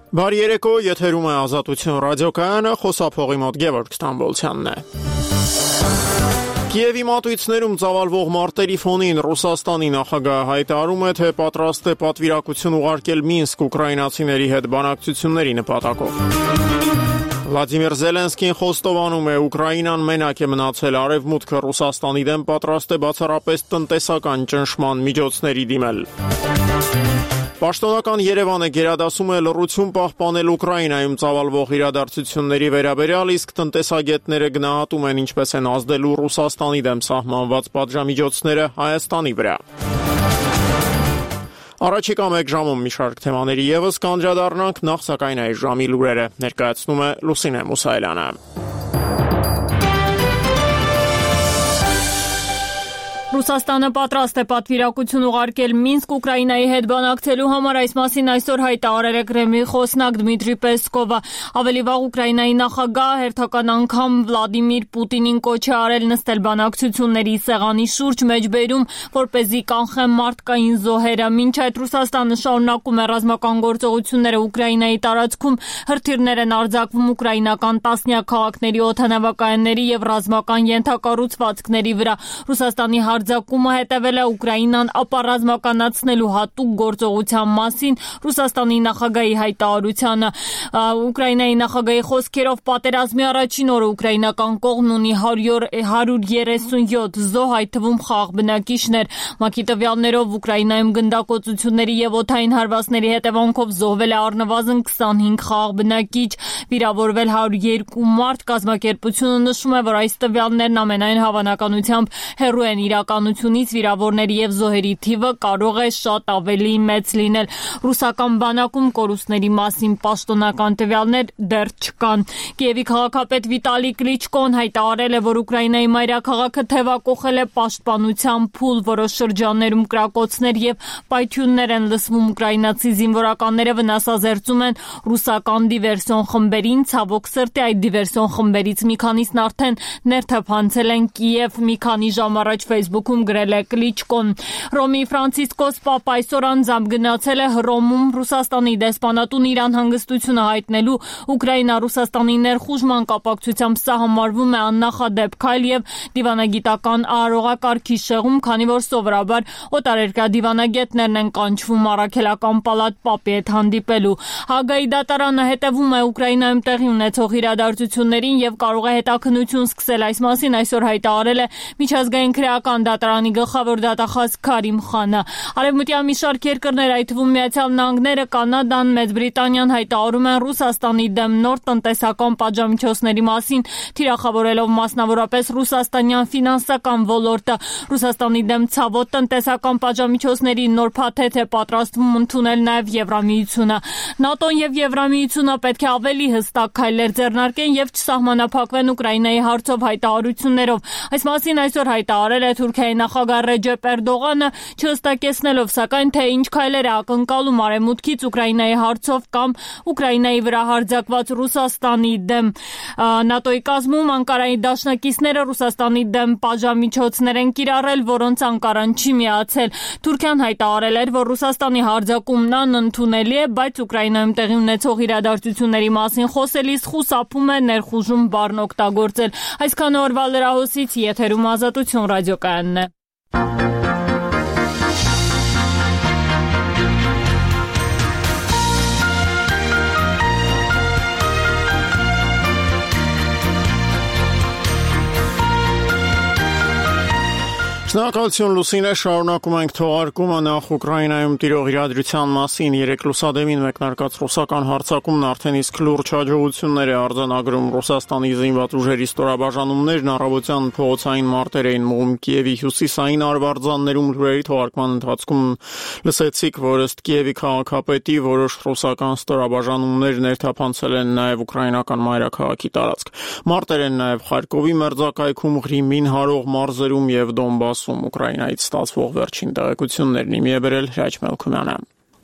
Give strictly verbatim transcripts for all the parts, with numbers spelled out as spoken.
Բարի երեկո, եթերում է Ազատություն ռադիոկայանը, խոսափողի մոտ Գևորգ Ստամբոլցյանն է։ Կիևի մատույցներում ծավալվող մարտերի ֆոնին Ռուսաստանի նախագահը հայտարարում է, թե պատրաստ է պատվիրակություն ուղարկել Մինսկ ուկրաինացիների հետ բանակցությունների նպատակով։ Վլադիմիր Զելենսկին խոստովանում է, Ուկրաինան մենակ է մնացել, Արևմուտքը Ռուսաստանի դեմ պատրաստ է բացառապես տնտեսական ճնշման միջոցների դիմել։ Պաշտոնական Երևանը գերադասում է լռություն պահպանել Ուկրաինայում ծավալվող իրադարձությունների վերաբերյալ, իսկ տնտեսագետները գնահատում են ինչպես են ազդելու Ռուսաստանի դեմ սահմանված պատժամիջոցները Հայաստանի վրա։ Առաջիկա մեկ ժամում մի շարք թեմաների ևս կանդրադառնանք, նախ սակայն այս ժամի լուրերը ներկայացնում է Լուսինե Մուսայելյանը։ Ռուսաստանը պատրաստ է պատվիրակություն ուղարկել Մինսկ Ուկրաինայի հետ բանակցելու համար, այս մասին այսօր հայտարարել է Կրեմլի խոսնակ Դմիտրի Պեսկովը։ Ավելի վաղ Ուկրաինայի նախագահը հերթական անգամ Վլադիմիր Պուտինին կոչ է արել նստել բանակցությունների սեղանի շուրջ, մեջբերում, որպեսզի կանխեն մարդկային զոհերը։ Մինչ այդ Ռուսաստանը շարունակում է ռազմական գործողությունները Ուկրաինայի տարածքում, հրթիռներ են արձակվում ուկրաինական տասնյակ քաղաքների, օդանավակայանների եւ ռազմական ենթակառուցվածքների վրա։ Ռուսաստանի Արձակումը հետևել է Ուկրաինան ապառազմականացնելու հատուկ գործողության մասին Ռուսաստանի նախագահի հայտարարությանը։ Ուկրաինայի նախագահի խոսքերով պատերազմի առաջին օրը ուկրաինական կողմն ունի հարյուր երեսունյոթ զոհ, այդ թվում խաղաղ բնակիչներ։ ՄԱԿ-ի տվյալներով Ուկրաինայում գնդակոծությունների եւ օդային հարվածների հետևանքով զոհվել է առնվազն քսանհինգ խաղաղ բնակիչ, վիրավորվել հարյուր երկու մարդ։ Կազմակերպությունը նշում է, որ այս տվյալներն ամենայն հավանականությամբ հեռու են իրականությունից, վիրավորների եւ զոհերի թիվը կարող է շատ ավելի մեծ լինել։ Ռուսական բանակում կորուստների մասին պաշտոնական տվյալներ դեռ չկան։ Կիևի քաղաքապետ Վիտալի Կլիչկոն հայտարարել է, որ Ուկրաինայի մայրաքաղաքը թևակոխել է պաշտպանության փուլ, որոշ շրջաններում կրակոցներ եւ պայթյուններ են լսվում։ Ուկրաինացի զինվորականները վնասազերծում են ռուսական դիվերսիոն խմբերին, ցավոք սրտի այդ դիվերսիոն խմբերից մի քանիսն արդեն ներթափանցել են Կիև։ Մի քանի ժամ առաջ Facebook-ում գրել է Կլիչկոն։ Ռոմի Ֆրանցիսկոս Պապ այսօր անձամբ գնացել է Հռոմում Ռուսաստանի դեսպանատուն Իրան հանգստությունը հայտնելու։ Ուկրաինա-Ռուսաստանի ներխուժման կապակցությամբ սա համարվում է աննախադեպ քայլ եւ դիվանագիտական արարողակարգի շեղում, քանի որ սովորաբար օտարերկրյա դիվանագետներն են կանչվում առաքելական պալատ Պապի հետ հանդիպելու։ Հագայի դատարանը հետևում է Ուկրաինայում տեղի ունեցող իրադարձություններին եւ կարող է հետաքննություն սկսել։ Այս մասին այսօր հայտարարել է Միջազգային քրեական դատարանի գլխավոր դատախազ Քարիմ Խանը։ Արևմտյան մի շարք երկրներ, այդ թվում Միացյալ Նահանգները, Կանադան, Մեծ Բրիտանիան հայտարարում են Ռուսաստանի դեմ նոր տնտեսական պատժամիջոցների մասին, թիրախավորելով մասնավորապես ռուսաստանյան ֆինանսական ոլորտը։ Ռուսաստանի դեմ ցավոտ տնտեսական պատժամիջոցների նոր փաթեթ է պատրաստվում ընդունել նաև Եվրամիությունը։ ՆԱՏՕ-ն եւ Եվրամիությունը պետք է ավելի հստակ քայլեր ձեռնարկեն եւ չսահմանափակվեն Ուկրաինայի հարցով հայտարարություններով։ Այս մասին այսօր հայտարարել է Թուրքիայի նախագահ Ռեջեփ Էրդողանը, չհստակեցնելով սակայն թե ինչ քայլեր է ակնկալում Արևմուտքից Ուկրաինայի հարցով կամ Ուկրաինայի վրա հարձակված Ռուսաստանի դեմ։ ՆԱՏՕ-ի կազմում Անկարայի դաշնակիցները Ռուսաստանի դեմ պատժամիջոցներ են կիրառել, որոնց Անկարան չի միացել։ Թուրքիան հայտարարել էր, որ Ռուսաստանի հարձակումն անընդունելի է, բայց Ուկրաինայում տեղի ունեցող իրադարձությունների մասին խոսելիս խուսափում է ներխուժում բառն օգտագործել։ Այսքան օրվա լրահոսից եթերում Ազատություն ռադիոկայանն է։ Շնորհակալություն Լուսինե, շարունակում ենք թողարկումը նախ Ուկրաինայում տիրող իրադրության մասին։ Երեք լուսադեմին մեկնարկած ռուսական հարձակումն արդեն իսկ լուրջ հաջողություններ է արձանագրում Ռուսաստանի զինված ուժերի ստորաբաժանումներն առավոտյան փողոցային մարտեր էին մղում Կիևի հյուսիսային արվարձաններում։ Լուրերի թողարկման ընթացքում լսեցիք, որ ըստ Կիևի քաղաքապետի որոշ ռուսական ստորաբաժանումներ ներթափանցել են նաև ուկրաինական մայրաքաղաքի տարածք։ Մարտեր են նաև Խարկովի մերձակայքում, Ղրիմին հարող մարզերում եւ Դոնբաս Ուկրաինայից ստացվող վերջին տեղեկություններն իմի է բերել Հրաչ Մելքումյանը։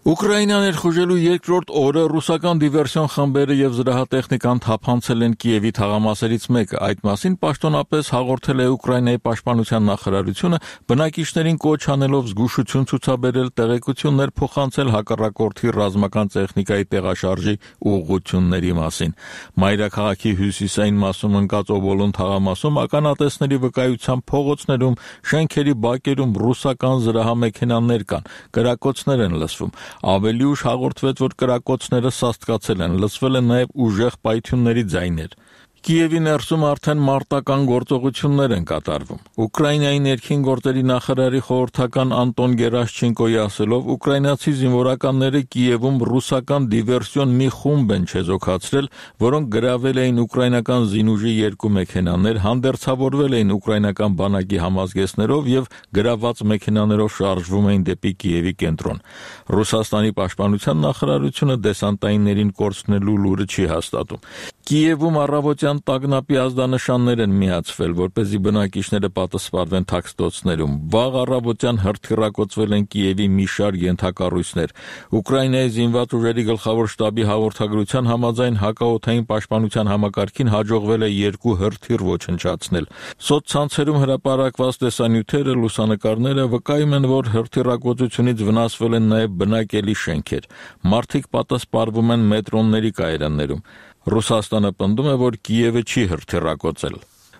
Ուկրաինան ներխուժելու երկրորդ օրը ռուսական դիվերսիոն խմբերը եւ զրահատեխնիկան թափանցել են Կիևի թաղամասերից մեկը։ Այդ մասին պաշտոնապես հաղորդել է Ուկրաինայի պաշտպանության նախարարությունը, բնակիչներին կոչ անելով զգուշություն ցուցաբերել, տեղեկություններ փոխանցել հակառակորդի ռազմական տեխնիկայի տեղաշարժի ուղղությունների մասին։ Մայրաքաղաքի հյուսիսային մասում ընկած Օբոլոն թաղամասում ականատեսների վկայությամբ փողոցներում, շենքերի բակերում ռուսական զրահամեքենաներ կան, կրակոցներ են լսվում։ Ավելի ուշ հաղորդվեց, որ կրակոցները սաստկացել են, լսվել են նաև ուժեղ պայթյունների ձայներ։ Կիևի ներսում արդեն մարտական գործողություններ են կատարվում։ Ուկրաինայի ներքին գործերի նախարարի խորհրդական Անտոն Գերաշչենկոյի ասելով, ուկրաինացի զինվորականները Կիևում ռուսական դիվերսիոն մի խումբ են չեզոքացրել, որոնք գրավել էին ուկրաինական զինուժի երկու մեքենաներ, հանդերձավորվել էին ուկրաինական բանակի համազգեստներով եւ գրաված մեքենաներով շարժվում էին դեպի Կիևի կենտրոն։ Ռուսաստանի պաշտպանության նախարարությունը դեսանտայիններին կորցնելու լուրը չի հաստատում։ Կիևում առավոտյան տագնապի ազդանշաններ են միացվել, որպեսզի բնակիչները պատասխանեն թաքստոցներում։ Վաղ առավոտյան հրթիռակոծվել են Կիևի մի շարք ենթակառույցներ։ Ուկրաինայի զինված ուժերի գլխավոր շտաբի հաղորդագրության համաձայն հակաօդային պաշտպանության համակարգին հաջողվել է երկու հրթիռ ոչնչացնել։ Սոցցանցերում հրապարակված տեսանյութերը, լուսանկարները վկայում են, որ հրթիռակոծությունից վնասվել են նաև բնակելի շենքեր։ Մարդիկ պատասխանվում են մետրոնների կայարաններում։ Ռուսաստանը պնդում է, որ Կիևը չի հրթիռակոծել։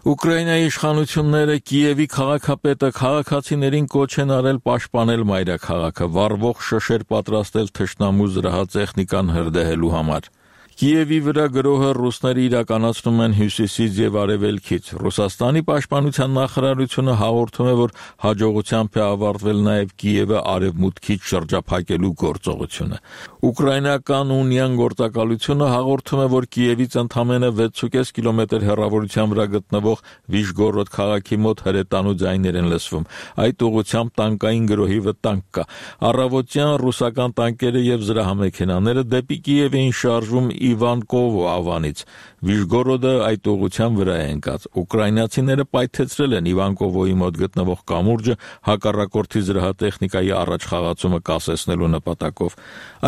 Ուկրաինայի իշխանությունները Կիևի քաղաքապետը քաղաքացիներին կոչ են արել պաշտպանել մայրաքաղաքը, վառվող շշեր պատրաստել թշնամու զրահատեխնիկան հրդեհելու համար։ Կիևի վրա գրոհը ռուսները իրականացնում են հյուսիսից եւ արևելքից։ Ռուսաստանի պաշտպանության նախարարությունը հաղորդում է, որ հաջողությամբ է ավարտվել նաեւ Կիևը արևմուտքից շրջափակելու գործողությունը։ Ուկրաինական ունիան գործակալությունը հաղորդում է, որ Կիևից ընդամենը վեց կես կիլոմետր հեռավորության վրա գտնվող Վիշգորոդ քաղաքի մոտ հրետանու ձայներ են լսվում։ Այդ ուղղությամբ տանկային գրոհի վտանգ կա։ Առավոտյան ռուսական տանկերը եւ զրահամեքենաները դեպի Կիև էին շարժվում Իվանկովո ավանից։ Վիշգորոդը այդ ուղղության վրա է ընկած։ Ուկրաինացիները պայթեցրել են Իվանկովոյի մոտ գտնվող կամուրջը հակառակորդի զրահատեխնիկայի առաջխաղացումը կասեցնելու նպատակով։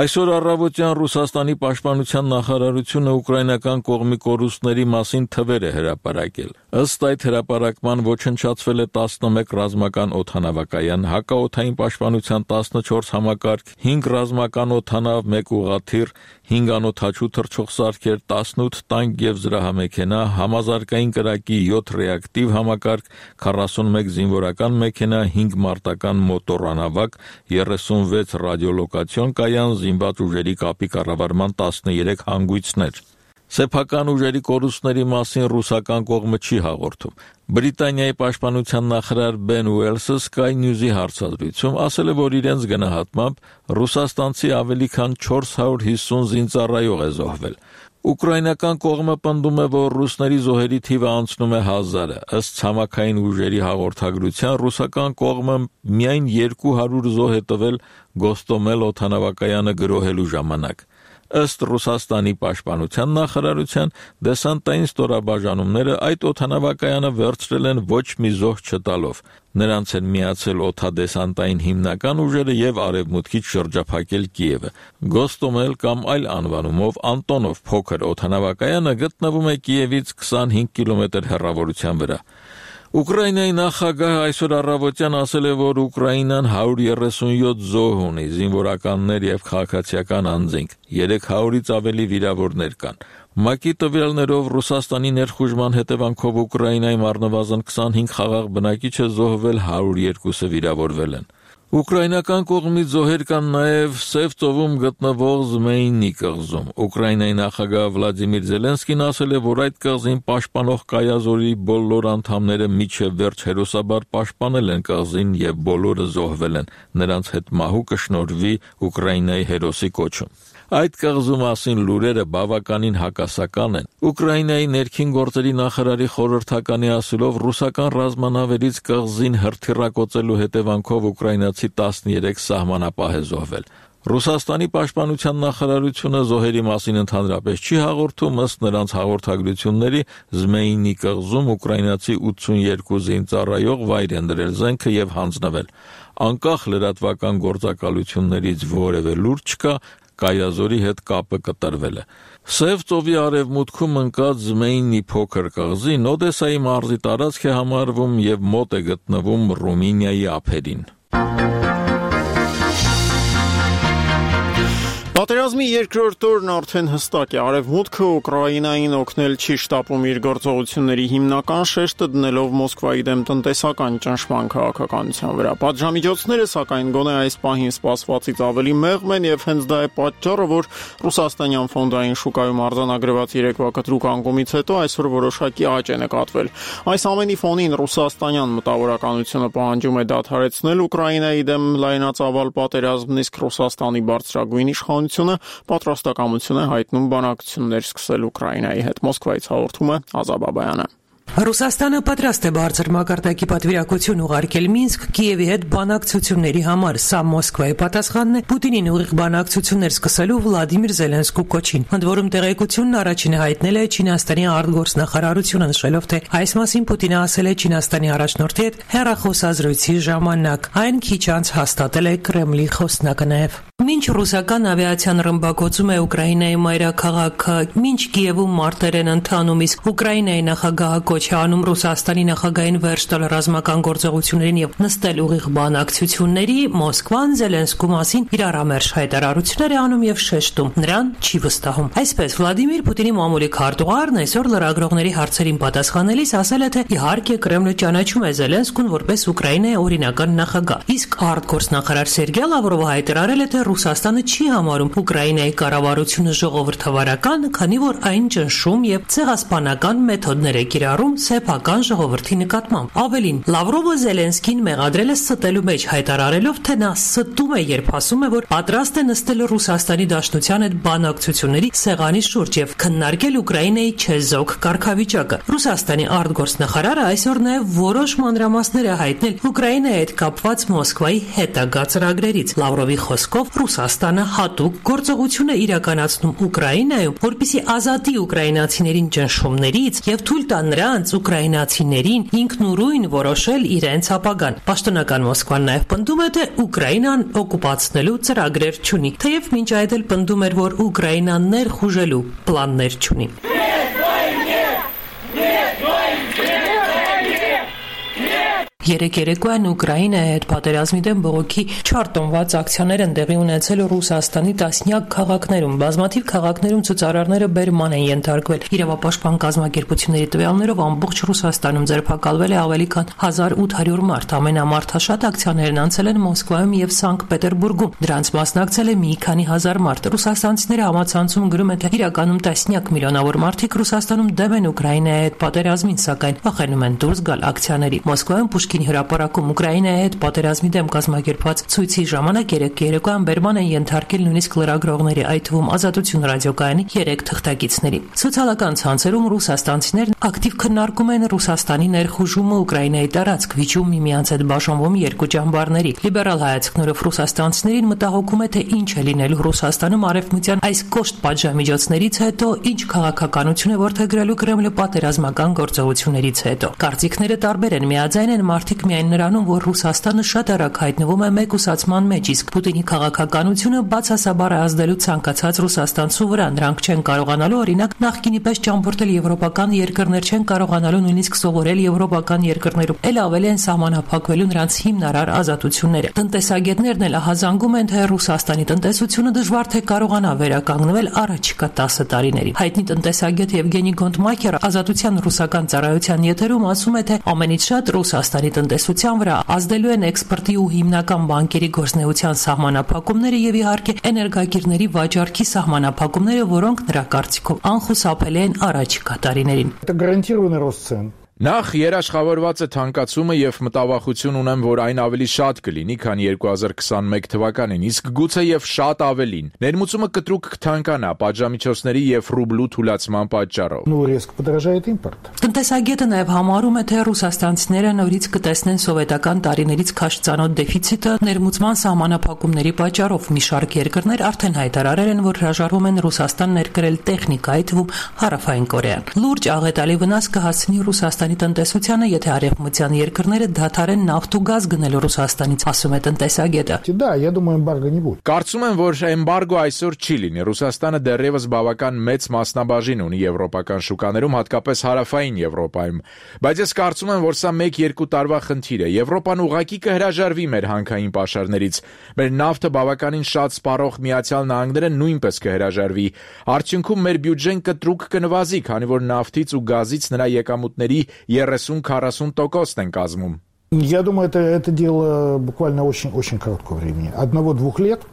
Այսօր առավոտյան Ռուսաստանի պաշտպանության նախարարությունը ուկրաինական կողմի կորուստների մասին թվեր է հրապարակել։ Ըստ այդ հրապարակման ոչնչացվել է տասնմեկ ռազմական օդանավակայան, հակաօդային պաշտպանության տասնչորս համակարգ, հինգ ռազմական օդանավ, մեկ ուղղաթիռ, հինգ անօդաչու թռչող սարքեր, տասնութ տանկ եւ զրահամեքենա, համազարգային կրակի յոթ ռեակտիվ համակարգ, քառասունմեկ զինվորական մեքենա, հինգ մարտական մոտորանավակ, երեսունվեց ռադիոլոկացիոն կայան, զինված ուժերի կապի կառավարման տասներեք հանգույցներ։ Սեփական ուժերի կորուստների մասին ռուսական կողմը չի հաղորդում։ Բրիտանիայի պաշտպանության նախարար Բեն Ուելսը Sky News-ի հարցազրույցում ասել է, որ իրենց գնահատմամբ ռուսաստանցի ավելի քան չորս հարյուր հիսուն զինծառայող է զոհվել։ Ուկրաինական կողմը պնդում է, որ ռուսների զոհերի թիվը անցնում է հազարը։ Ըստ ցամաքային ուժերի հաղորդագրության ռուսական կողմը միայն երկու հարյուր զոհ է տվել Գոստոմել օդանավակայանը գրոհելու ժամանակ։ Ըստ Ռուսաստանի պաշտպանության նախարարության դեսանտային ստորաբաժանումները այդ օդանավակայանը վերցրել են ոչ մի զոհ չտալով։ Նրանց են միացել օդադեսանտային հիմնական ուժերը եւ արևմուտքից շրջափակել Կիևը։ Գոստոմել կամ այլ անվանումով Անտոնով փոքր օդանավակայանը գտնվում է Կիևից քսանհինգ կիլոմետր հեռավորության վրա։ Ուկրաինայի նախագահը այսօր առավոտյան ասել է, որ Ուկրաինան հարյուր երեսունյոթ զոհ ունի, զինվորականներ եւ քաղաքացիական անձինք, երեք հարյուրից ավելի վիրավորներ կան։ ՄԱԿ-ի տվյալներով Ռուսաստանի ներխուժման հետևանքով Ուկրաինայում առնվազն քսանհինգ խաղաղ բնակիչ է զոհվել, հարյուր երկուսը վիրավորվել են։ Ուկրաինական կողմից զոհեր կան նաև Սև ծովում գտնվող Զմեյնի կղզում։ Ուկրաինայի նախագահ Վլադիմիր Զելենսկին ասել է, որ այդ կղզին պաշտպանող կայազորի բոլոր անդամները միջև վերջ հերոսաբար պաշտպանել են կղզին եւ բոլորը զոհվել են։ Նրանց հետ մահու կշնորհվի Ուկրաինայի հերոսի կոչում։ Այդ կղզու մասին լուրերը բավականին հակասական են։ Ուկրաինայի ներքին գործերի նախարարի խորհրդականի ասելով, ռուսական ռազմանավերից կղզին հրթիռակոծելու հետևանքով ուկրաինացի տասներեք սահմանապահ է զոհվել։ Ռուսաստանի պաշտպանության նախարարությունը զոհերի մասին ընդհանրապես չի հաղորդում, ըստ նրանց հաղորդագրությունների Զմեյնի կղզում ուկրաինացի ութսունյոթ զինծառայող վայր են դրել զենքը եւ հանձնվել։ Անկախ լրատվական գործակալություններից որևէ լուրջ չկա, Կայազորի հետ կապը կտրվել է։ Սև ծովի արևմուտքում ընկած Զմեյնի փոքր կղզին Օդեսայի մարզի տարածք է համարվում եւ մոտ է գտնվում Ռումինիայի ափերին։ Պատերազմի երկրորդ օրն արդեն հստակ է, Արևմուտքը Ուկրաինային օգնել չի շտապում իր գործողությունների հիմնական շեշտը դնելով Մոսկվայի դեմ տնտեսական ճնշման քաղաքականության վրա։ Պատժամիջոցները, սակայն, գոնե այս պահին սպասվածից ավելի մեղմ են եւ հենց դա է պատճառը, որ ռուսաստանյան ֆոնդային շուկայում արձանագրված երեկվա կտրուկ անկումից հետո այսօր որոշակի աճ է նկատվել։ Այս ամենի ֆոնին ռուսաստանյան մտավորականությունը պահանջում է դադարեցնել Ուկրաինայի դեմ լայնածավալ պատերազմն, իսկ Ռուսաստանի բարձրագույն իշխանությունը պատրաստակամություն է հայտնում բանակցություններ սկսել Ուկրաինայի հետ։ Մոսկվայից հաղորդում է Ազաբ Աբայանը։ Ռուսաստանը պատրաստ է բարձր մակարդակի պատվիրակություն ուղարկել Մինսկ Կիևի հետ բանակցությունների համար։ Սա Մոսկվայի պատասխանն է Պուտինին ուղիղ բանակցություններ սկսելու Վլադիմիր Զելենսկու կոչին։ Ընդ որում տեղեկությունն առաջինը հայտնել է Չինաստանի արտգործնախարարությունը, նշելով, թե այս մասին Պուտինը ասել է Չինաստանի առաջնորդի հետ հեռախոսազրույցի ժամանակ։ Այն քիչ անց հաստատել է Կրեմլի խոսնակը նաև։ Մինչ ռուսական ավիացիան ռմբակոծում է Ուկրաինայի մայրաքաղաքը, մինչ Կիևում մարտեր են ընթանում, իսկ Ուկրաինայի նախագահը կոչ է անում Ռուսաստանի նախագահին վերջ տալ ռազմական գործողություններին եւ նստել ուղիղ բանակցությունների, Մոսկվան Զելենսկու մասին իր ամերժ հայտարարություններ է անում եւ շեշտում, նրան չի վստահում։ Այսպես Վլադիմիր Պուտինի մամուլի քարտուղարն այսօր լրագրողների հարցերին պատասխանելիս ասել է, թե իհարկե Կրեմլը ճանաչում է Զելենսկուն որպես Ուկրաինայի օրինական նախագահ, իսկ արտգործնախարար Սերգեյ Լավրովը հայտարարել է, թե Ռուսաստանը չի համարում Ուկրաինայի կառավարությունը ժողովրդավարական, քանի որ այն ճնշում եւ ցեղասպանական մեթոդներ է կիրառում սեփական ժողովրդի նկատմամբ։ Ավելին, Լավրովը Զելենսկին մեղադրել է ստելու մեջ, հայտարարելով, թե նա ստում է, երբ ասում է, որ պատրաստ է նստել Ռուսաստանի Դաշնության հետ բանակցությունների սեղանի շուրջ եւ քննարկել Ուկրաինայի չեզոք կարգավիճակը։ Ռուսաստանի արտգործնախարարը այսօր նաեւ որոշ մանրամասներ է հայտնել Ուկրաինայի հետ կապված Մոսկվայի հետագա ծրագրերից։ Լավրովի խոսքով Ռուսաստանը հատուկ գործողություն է իրականացնում Ուկրաինայում, որպեսզի ազատի ուկրաինացիներին ճնշումներից եւ թույլ տա նրանց ուկրաինացիներին ինքնուրույն որոշել իրենց ապագան։ Պաշտոնական Մոսկվան նաեւ պնդում է, թե Ուկրաինան օկուպացնելու ծրագրեր չունի, թեև մինչ այդ էլ պնդում էր, որ Ուկրաինան ներխուժելու պլաններ չունի։ Երեք երեկոյան Ուկրաինայի հետ պատերազմի դեմ բողոքի չարտոնված ակցիաներ են տեղի ունեցել Ռուսաստանի տասնյակ քաղաքներում։ Բազմաթիվ քաղաքներում ցուցարարները բերման են ենթարկվել։ Իրավապաշտպան կազմակերպությունների տվյալներով ամբողջ Ռուսաստանում ձերբակալվել է ավելի քան հազար ութ հարյուր մարդ։ Ամենամարդաշատ ակցիաներն անցել են Մոսկվայում եւ Սանկտ Պետերբուրգում։ Դրանց մասնակցել է մի քանի հազար մարդ։ Ռուսաստանցիները համացանցում գրում են, թե իրականում տասնյակ միլիոնավոր մարդիկ Ռուսաստանում դեմ են Ուկրաինայի հետ պատերազմին, սակայն վախենում են դուրս գալ ակցիաների։ Մոսկվայում Պուշկին հրապարակում Ուկրաինայի հետ պատերազմի դեմ կազմակերպված ցույցի ժամանակ երեք երեկոյան բերման են ենթարկել նույնիսկ լրագրողների, այդ թվում Ազատություն ռադիոկայանի երեք թղթակիցների։ Սոցիալական ցանցերում ռուսաստանցիներն ակտիվ քննարկում են Ռուսաստանի ներխուժումը Ուկրաինայի տարածք, վիճում միմյանց հետ բաժանվում երկու ճամբարների։ Լիբերալ հայացքներով ռուսաստանցիներին մտահոգում է, թե ինչ է լինելու Ռուսաստանում արևմտյան այս կոշտ պատժամիջոցներից հետո, ինչ քաղաքականություն է որդեգրելու Կրեմլը պատերազմական գործողություններից հետո։ Կարծիքները տարբեր են, միաձայն են մարդիկ միայն նրանում, որ Ռուսաստանը շատ արագ հայտնվում է մեկուսացման մեջ, իսկ Պուտինի քաղաքականությունը բացասաբար է ազդելու ցանկացած ռուսաստանցու վրա։ Նրանք չեն կարողանալու, օրինակ, նախկինի պես ճամփորդել եվրոպական երկրներ, չեն կարողանալու նույնիսկ սովորել եվրոպական երկրներում, էլ ավելի են սահմանափակվելու նրանց հիմնարար ազատությունները։ Տնտեսագետներն էլ ահազանգում են, թե Ռուսաստանի տնտեսությունը դժվար թե կարողանա վերականգնվել առաջիկա տասը տարիների։ Հայտնի տնտեսագետ Եվգենի Գոնտմաքերը Ազատության ռուսական ծառայության եթերում ասում է, թե ամենից շատ Ռուսաստանի տնտեսության վրա ազդելու են էքսպորտի ու հիմնական բանկերի գործունեության սահմանափակումները եւ իհարկե էներգակիրների վաճառքի սահմանափակումները, որոնք նրա կարծիքով անխուսափելի են առաջիկա տարիներին։ Это гарантированный рост цен. Նախ երաշխավորված է թանկացումը եւ մտավախություն ունեմ, որ այն ավելի շատ կլինի, քան երկու հազար քսաներկու թվականին, իսկ գուցե եւ շատ ավելին։ Ներմուծումը կտրուկ կթանկանա պատժամիջոցների եւ ռուբլու թուլացման պատճառով։ Ну, резко подорожает импорт. Տնտեսագետը նաեւ համարում է, թե ռուսաստանցիները նորից կտեսնեն սովետական տարիներից քաշ ծանոթ դեֆիցիտը ներմուծման սահմանափակումների պատճառով։ Մի շարք երկրներ արդեն հայտարարել են, որ հրաժարվում են Ռուսաստան ներկրել տեխնիկա, այդ թվում Հարավային Կորեան։ Լուրջ աղետալի վնաս կհասցնի Ռուսաստան տնտեսությանը, եթե արևմտյան երկրները դադարեն նավթ ու գազ գնել Ռուսաստանից, ասում է տնտեսագետը։ Да, я думаю, эмбарго не будет. Կարծում եմ, որ էմբարգո այսօր չի լինի։ Ռուսաստանը դեռևս բավական մեծ մասնաբաժին ունի եվրոպական շուկաներում, հատկապես հարավային Եվրոպայում։ Բայց ես կարծում եմ, որ սա մեկ-երկու տարվա խնդիր է։ Եվրոպան ուղղակի կհրաժարվի մեր հանքային պաշարներից։ Մեր նավթը բավականին շատ սպառող Միացյալ Նահանգները նույնպես կհրաժարվի։ Արդյունքում մեր բյուջեն կտրուկ կնվազի, քանի որ նավթից ու գազից նրա եկամուտների երեսուն-քառասուն տոկոսն են կազմում։ Я думаю, это, это дело буквально очень-очень короткого времени. Одного-двух лет.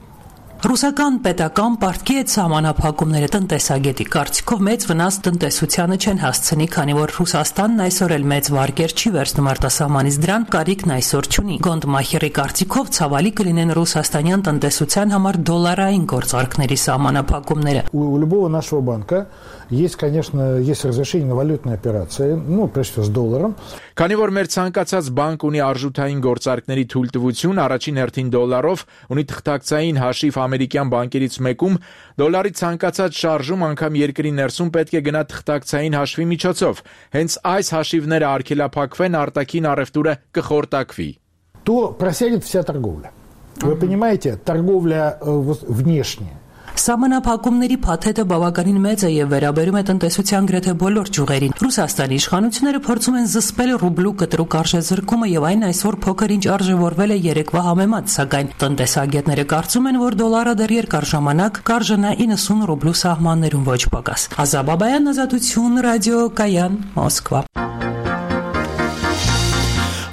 Ռուսական պետական պարտքի հետ սահմանափակումները տնտեսագետի կարծիքով մեծ վնաս տնտեսությանը չեն հասցնի, քանի որ Ռուսաստանն այսօր էլ մեծ վարկեր չի վերցնում արտասահմանից, դրան կարիքն այսօր չունի։ Գոնդմախերի կարծիքով ցավալի կլինեն ռուսաստանյան տնտեսության համար դոլարային գործարքների սահմանափակումները։ У любого нашего банка есть, конечно, есть разрешение на валютные операции, ну, прежде всего с долларом. Քանի որ մեր ցանկացած բանկ ունի արժութային գործարքների թույլտվություն, առաջին հերթին դոլարով, ունի թղթակցային հաշիվ ամերիկյան բանկերից մեկում, դոլարի ցանկացած շարժում անգամ երկրի ներսում պետք է գնա թղթակցային հաշվի միջոցով։ Հենց այս հաշիվները արգելափակվեն, արտաքին առևտուրը կխորտակվի։ То просядет вся торговля. Вы понимаете, торговля внешняя. Սահմանափակումների փաթեթը բավականին մեծ է եւ վերաբերում է տնտեսության գրեթե բոլոր ճյուղերին։ Ռուսաստանի իշխանությունները փորձում են զսպել ռուբլու կտրուկ արժեզրկումը եւ այն այսօր փոքր ինչ արժեվորվել է երեկվա համեմատ, սակայն տնտեսագետները կարծում են, որ դոլարը դեռ երկար ժամանակ կարժենա իննսուն ռուբլու սահմաններում ոչ պակաս։ Ազա Բաբայան, Ազատություն, ռադիո Կայան, Մոսկվա։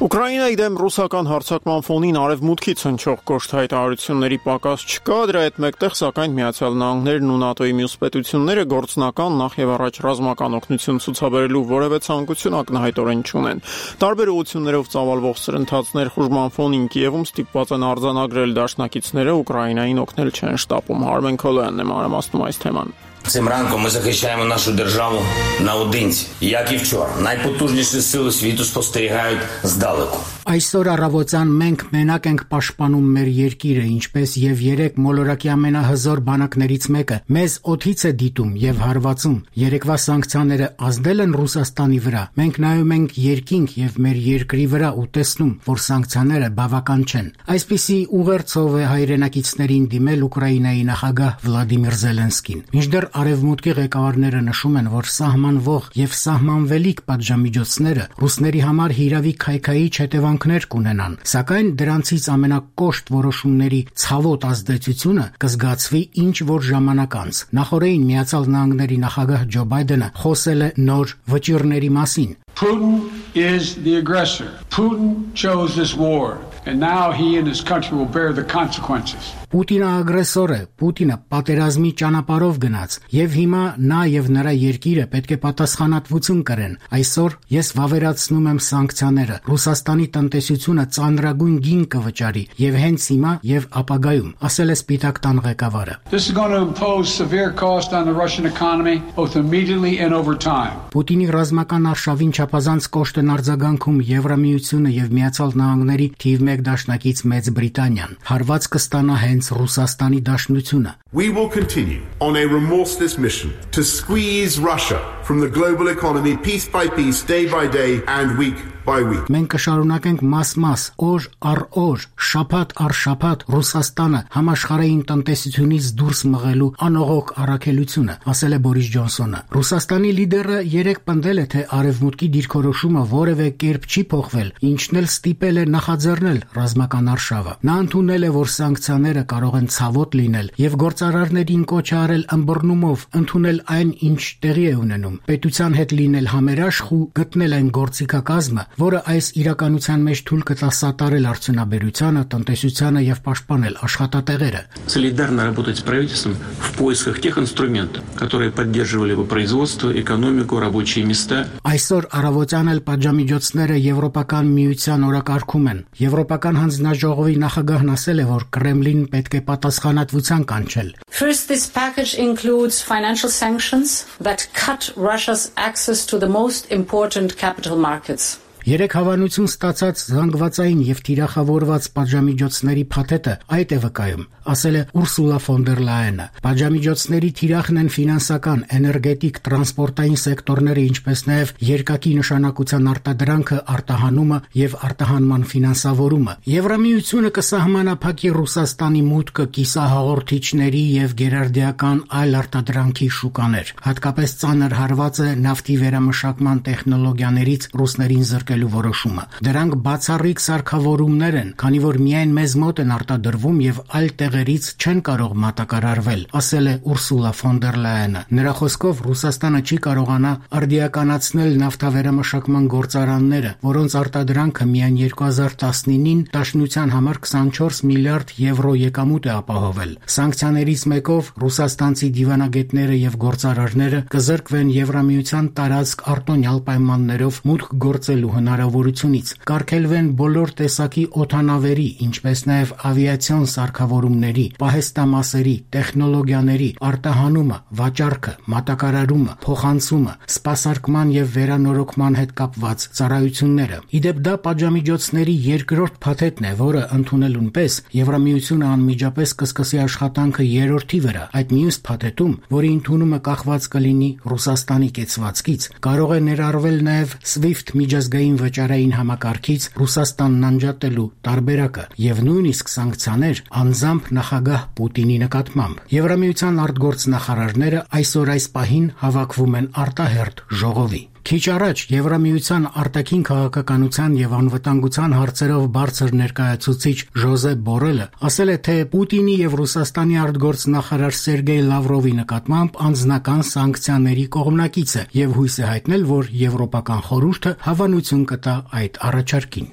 Ուկրաինայի դեմ ռուսական հարձակման ֆոնին արևմուտքից հնչող կոշտ հայտարարությունների պակաս չկա, դրա հետ մեկտեղ սակայն Միացյալ Նահանգներն ու ՆԱՏՕ-ի մյուս պետությունները գործնական նախ եւ առաջ ռազմական օգնություն ցուցաբերելու որևէ ցանկություն ակնհայտորեն չունեն։ Տարբեր ուղղություններով ծավալվող սրընթացներ խուժման ֆոնին Կիևում ստիպված են արձանագրել դաշնակիցները Ուկրաինային օգնել չեն շտապում։ Արմեն Քոլոյանն է մանրամասնում այս թեման։ Цим ранком ми захищаємо нашу державу наодинці. Як і вчора, найпотужніші сили світу спостерігають здалеку. Այսօր առավոտյան մենք մենակ ենք պաշտպանում մեր երկիրը, ինչպես եւ երեք մոլորակի ամենահզոր բանակներից մեկը մեզ օդից է դիտում եւ հարվածում։ Երեկվա սանկցիաները ազդել են Ռուսաստանի վրա։ Մենք նայում ենք երկինք եւ մեր երկրի վրա ու տեսնում, որ սանկցիաները բավական չեն։ Այսպիսի ուղերձով է հայրենակիցներին դիմել Ուկրաինայի նախագահ Վլադիմիր Զելենսկին։ Մինչդեռ արևմուտքի ղեկավարները նշում են, որ սահմանվող եւ սահմանվելիք պատժամիջոցները ռուսների համար հիրավի քայքայի հետևանքներ կունենան, սակայն դրանցից ամենակոշտ որոշումների ցավոտ ազդեցությունը կզգացվի ինչ որ ժամանակ անց։ Նախորդին Միացյալ Նահանգների նախագահ Ջո Բայդենը խոսել է նոր վճիռների մասին։ Putin is the aggressor. Putin chose this war, and now he and his country will bear the consequences. Պուտինը ագրեսոր է, Պուտինը պատերազմի ճանապարհով գնաց, եւ հիմա նա եւ նրա երկիրը պետք է պատասխանատվություն կրեն։ Այսօր ես վավերացնում եմ սանկցիաները։ Ռուսաստանի տնտեսությունը ծանրագույն գին կվճարի եւ հենց հիմա եւ ապագայում, ասել է Սպիտակ տան ղեկավարը։ This is going to impose severe cost on the Russian economy, both immediately and over time. Պուտինի ռազմական արշավին չափազանց կոշտ են արձագանքում Եվրամիությունը եւ Միացյալ Նահանգների թիվ մեկ դաշնակից Մեծ Բրիտանիան։ Հարված կստանա հենց Ռուսաստանի դաշնությունը։ We will continue on a remorseless mission to squeeze Russia from the global economy piece by piece, day by day and week by week. Մենք կշարունակենք մաս-մաս, օր առ օր, շաբաթ առ շաբաթ Ռուսաստանը համաշխարհային տնտեսությունից դուրս մղելու անողոք առաքելությունը, ասել է Բորիս Ջոնսոնը։ Ռուսաստանի լիդերը երեք պնդել է, թե արևմուտքի դիրքորոշումը որևէ կերպ չի փոխվել, ինչն էլ ստիպել է նախաձեռնել ռազմական արշավը։ Նա ընդունել է, որ սանկցիաները կարող են ցավոտ լինել եւ գործարարներին կոչ արել ըմբռնումով ընդունել այն, ինչ տեղի է ունենում։ պետության հետ լինել համերաշխ ու գտնել այն գործիքակազմը, որը այս իրականության մեջ թույլ կտա սատարել արդյունաբերությանը, տնտեսությանը եւ պաշտպանել աշխատատեղերը։ Солидарно работать с правительством в поисках тех инструментов, которые поддерживали бы производство, экономику, рабочие места. Այսօր առավոտյան էլ պատժամիջոցները Եվրոպական միության օրակարգում են։ Եվրոպական հանձնաժողովի նախագահն ասել է, որ Կրեմլին պետք է պատասխանատվության կանչել։ First, this package includes financial sanctions that cut Russia's access to the most important capital markets. Երեք հավանություն ստացած զանգվածային եւ թիրախավորված պատժամիջոցների փաթեթը այդ է վկայում, ասել է Ուրսուլա ֆոն դեր Լայենը։ Պատժամիջոցների թիրախն են ֆինանսական, էներգետիկ, տրանսպորտային սեկտորները, ինչպես նաեւ երկակի նշանակության արտադրանքը, արտահանումը եւ արտահանման ֆինանսավորումը։ Եվրամիությունը կսահմանափակի Ռուսաստանի մուտքը կիսահաղորդիչների եւ գերարդիական այլ արտադրանքի շուկաներ։ Հատկապես ծանր հարված է նավթի վերամշակման տեխնոլոգիաներից ռուսներին զրկելու որոշումը։ Դրանք բացառիկ սարքավորումներ են, քանի որ միայն մեզ մոտ են արտադրվում եւ այլ տեղերից չեն կարող մատակարարվել, ասել է Ուրսուլա ֆոն դեր Լայենը։ Նրա խոսքով Ռուսաստանը չի կարողանա արդիականացնել նավթավերամշակման գործարանները, որոնց արտադրանքը միայն երկու հազար տասնինին Դաշնության համար քսանչորս միլիարդ եվրո եկամուտ է ապահովել։ Սանկցիաներից մեկով ռուսաստանցի դիվանագետները եւ գործարարները կզրկվեն Եվրամիության տարածք արտոնյալ պայմաններով մուտք գործելու հնարավորությունից, կարգելվեն բոլոր տեսակի օդանավերի, ինչպես նաև ավիացիոն սարքավորումների, պահեստամասերի, տեխնոլոգիաների, արտահանումը, վաճառքը, մատակարարումը, փոխանցումը, սպասարկման եւ վերանորոգման հետ կապված ծառայությունները։ Իդեպ դա պատժամիջոցների երկրորդ փաթեթն է, որը ընդունելուն պես Եվրամիությունը անմիջապես կսկսի աշխատանքը երրորդի վրա։ Այդ մյուս փաթեթում, որի ընդունումը կախված կլինի Ռուսաստանի կեցվածքից, կարող է ներառվել նաև SWIFT միջազգային վճարային համակարգից Ռուսաստանն անջատելու տարբերակը եւ նույնիսկ սանկցիաներ անձամբ նախագահ Պուտինի նկատմամբ։ Եվրամիության արտգործնախարարները այսօր այս պահին հավաքվում են արտահերթ ժողովի։ Քիչ առաջ Եվրամիության արտաքին քաղաքականության եւ անվտանգության հարցերով բարձր ներկայացուցիչ Ժոզեփ Բորելը ասել է, թե Պուտինի եւ Ռուսաստանի արտգործնախարար Սերգեյ Լավրովի նկատմամբ անձնական սանկցիաների կողմնակից է եւ հույս է հայտնել, որ Եվրոպական խորհուրդը հավանություն կտա այդ առաջարկին։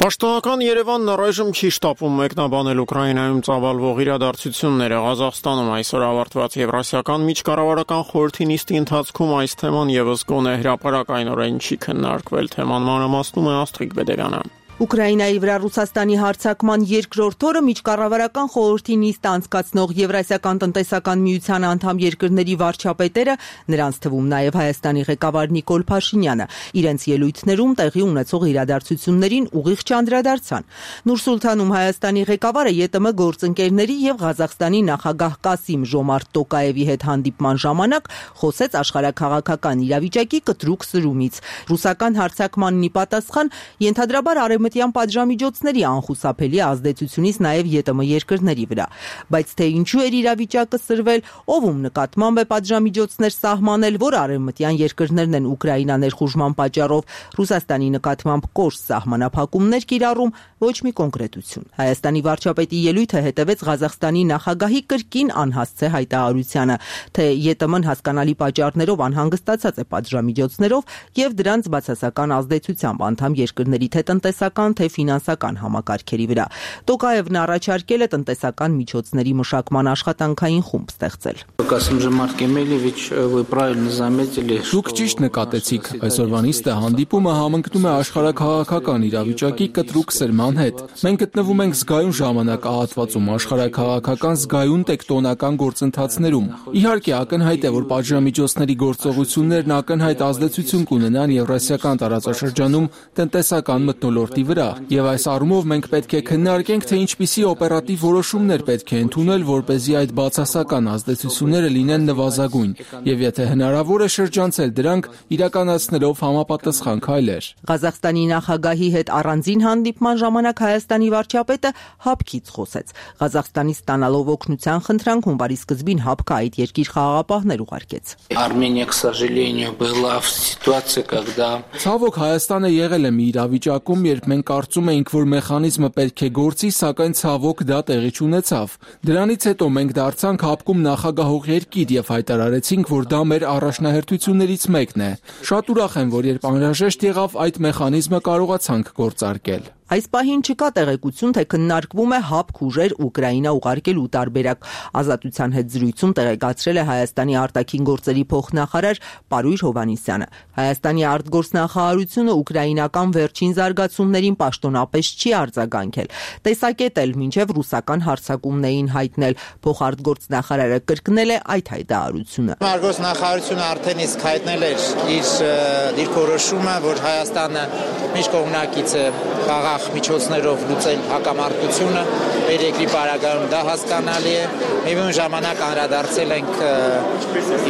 Պաշտոնական Երևանն առայժմ չի շտապում մեկնաբանել Ուկրաինայում ծավալվող իրադարձությունները։ Ղազախստանում այսօր ավարտված Եվրասիական միջկառավարական խորհրդի նիստի ընթացքում այս թեման եւս գոնե հրապարակայնորեն չի քննարկվել։ Թեման մանրամասնում է Աստղիկ Բեդերյանը։ Ուկրաինայի վրա Ռուսաստանի հարձակման երկրորդ օրը միջկառավարական խորհրդի նիստ անցկացնող Եվրասիական տնտեսական միության անդամ երկրների վարչապետերը, նրանց թվում նաև Հայաստանի ղեկավար Նիկոլ Փաշինյանը, իրենց ելույթներում տեղի ունեցող իրադարձություններին ուղիղ չանդրադարձան։ Նուր-Սուլթանում Հայաստանի ղեկավարը ԵՏՄ գործընկերների եւ Ղազախստանի նախագահ Կասիմ Ժոմարտ Տոկաևի հետ հանդիպման ժամանակ խոսեց աշխարհաքաղաքական իրավիճակի կտրուկ սրումից։ Ռուսական հարձակմանն ի պատասխան ենթադրաբար արևմտյան պատժամիջոցների անխուսափելի ազդեցությունից նաև ԵՏՄ երկրների վրա։ Բայց թե ինչու էր իրավիճակը սրվել, ով ում նկատմամբ է պատժամիջոցներ սահմանել, որ արևմտյան երկրներն են Ուկրաինա ներխուժման պատճառով Ռուսաստանի նկատմամբ կոշտ սահմանափակումներ կիրառում, ոչ մի կոնկրետություն։ Հայաստանի վարչապետի ելույթը հետևեց Ղազախստանի նախագահի կրկին անհասցե հայտարարությանը, թե ԵՏՄ-ն հասկանալի պատճառներով անհանգստացած է պատժամիջոցներով եւ դրանց բացասական ազդեցությամբ անդամ երկրների թե տնտեսական թե ֆինանսական համակարգերի վրա։ Տոկաևն առաջարկել է տնտեսական միջոցների մշակման աշխատանքային խումբ ստեղծել։ Դուք ճիշտ նկատեցիք, այսօրվա նիստը հանդիպումը համընկնում է աշխարհաքաղաքական իրավիճակի կտրուկ սրման հետ։ Մենք գտնվում ենք զգայուն ժամանակահատվածում աշխարհաքաղաքական զգայուն տեկտոնական գործընթացներում։ Իհարկե ակնհայտ է, որ պատժամիջոցների գործողություններն ակնհայտ ազդեցություն կունենան Եվրասիական տարածաշրջանում տնտեսական մթնոլորտի վրա, եւ այս առումով մենք պետք է քննարկենք, թե ինչպիսի օպերատիվ որոշումներ պետք է ընդունել, որպեսզի այդ բացասական ազդեցությունները լինեն նվազագույն, եւ եթե հնարավոր է շրջանցել դրանք իրականացնելով համապատասխան քայլեր։ Ղազախստանի նախագահի հետ առանձին հանդիպման ժամանակ Հայաստանի վարչապետը հապկից խոսեց։ Ղազախստանից ստանալով օգնության խնդրանք հունվարի սկզբին հապկը այդ երկիր խաղաղապահներ ուղարկեց։ Ցավոք Հայաստանը եղել է մի իրավիճակում, երբ Մենք կարծում էինք, որ մեխանիզմը պետք է գործի, սակայն ցավոք դա տեղի չունեցավ։ Դրանից հետո մենք դարձանք հապկում նախագահող երկիր եւ հայտարարեցինք, որ դա մեր առաջնահերթություններից մեկն է։ Շատ ուրախ եմ, որ երբ անհրաժեշտ եղավ, այդ մեխանիզմը կարողացանք գործարկել։ Այս պահին չկա տեղեկություն, թե քննարկվում է հապկ ուժեր Ուկրաինա ուղարկելու տարբերակ։ Ազատության հետ զրույցում տեղեկացրել է Հայաստանի արտաքին գործերի փոխնախարար Պարույր Հովհաննիսյանը։ Հայաստանի արտգործնախարարությունը ուկրաինական վերջին զարգացումներին պաշտոնապես չի արձագանքել։ Տեսակետ էլ մինչև ռուսական հարձակումներին հայտնել։ Փոխարտգործնախարարը կրկնել է այդ հայտարարությունը։ Արտգործնախարարությունը արդեն իսկ հայտնել էր իր դիրքորոշումը, որ Հայաստանը միջկողմնակից է խաղաղ միջոցներով լուծել հակամարտությունը, մեր երկրի պարագայում դա հասկանալի է։ Միևնույն ժամանակ անդրադարձել ենք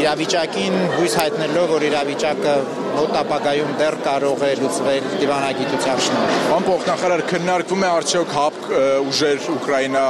իրավիճակին, հույս հայտնելով, որ իրավիճակը մոտ ապագայում դեռ կարող է լուծվել դիվանագիտության շնորհիվ։ Պարոն փոխնախարար, քննարկվում է արդյոք հապկ ուժեր Ուկրաինա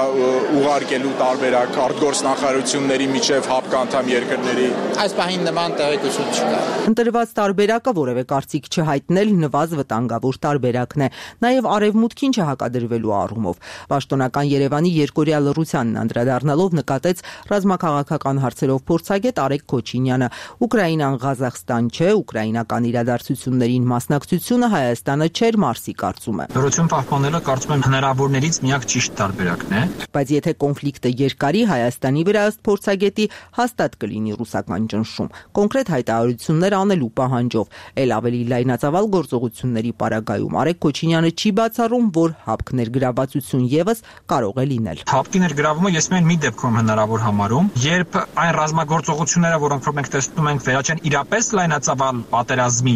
ուղարկելու տարբերակ արտգործնախարարությունների միջև հապկ անդամ երկրների։ Այս պահին նման տեղեկություն չկա։ Ընտրված տարբերակը որևէ կարծիք չհայտնել նվազ վտանգավոր տարբերակն է, նաև արևմուտքին չհակադրվելու առումով։ Պաշտոնական Երևանի երկօրյա լռությանն անդրադառնալով նկատեց ռազմաքաղաքական հարցերով փորձագետ Արեգ Քոչինյանը։ Ուկրաինան Ղազախստան չէ, ուկրաինական իրադարձություններին մասնակցությունը Հայաստանը չէր մարսի կարծում է։ Լռություն պահպանելը կարծում եմ հնարավորներից միակ ճիշտ տարբերակն է։ Բայց եթե կոնֆլիկտը երկարի, Հայաստանի վրա ըստ փորձագետի հաստատ կլինի ռուսական ճնշում, կոնկրետ հայտարարություններ անելու պահանջով, ել ավելի լայնածավալ գործողությունների պարագայում Արեգ Քոչինյանը չի բացառում, որ հապկ ներգրավվածություն եւս կարող է լինել։ Հապկի ներգրավումը ես միայն մի դեպքում հնարավոր համարում, երբ այն ռազմագործողությունները, որոնք մենք տեսնում ենք, վերաճեն իրապես լայնածավալ պատերազմի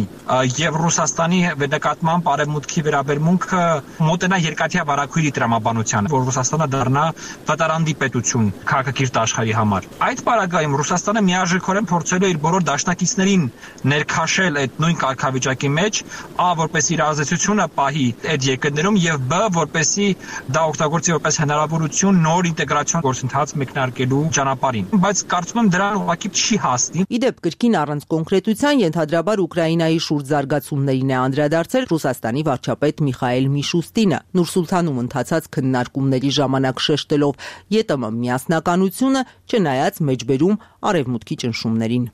եւ Ռուսաստանի նկատմամբ արևմուտքի վերաբերմունքը մոտենա երկաթյա վարակույրի տրամաբանության, որ Ռուսաստանը դառնա վտարանդի պետություն քաղաքակիրթ աշխարհի համար։ Այդ պարագայում Ռուսաստանը միաժամանակ փորձելու է իր բոլոր դաշնակիցներին ներքաշել այդ նույն կարգավիճակի մեջ, ա որպես իր ազդեցությունը պահի այդ երկրներում եւ բ որպեսի դա օգտագործի որպես հնարավորություն նոր ինտեգրացիոն գործընթաց մեկնարկելու ճանապարհին։ Բայց կարծում եմ դրան ուղղակի չի հասնի։ Իդեպ կրկին առանց կոնկրետության ենթադրաբար Ուկրաինայի շուրջ զարգացումներին է անդրադարձել Ռուսաստանի վարչապետ Միխայել Միշուստինը, Նուր-Սուլթանում ընթացած քննարկումների ժամանակ շեշտելով ԵՏՄ միասնականությունը, չնայած մեջբերում արևմուտքի ճնշումներին։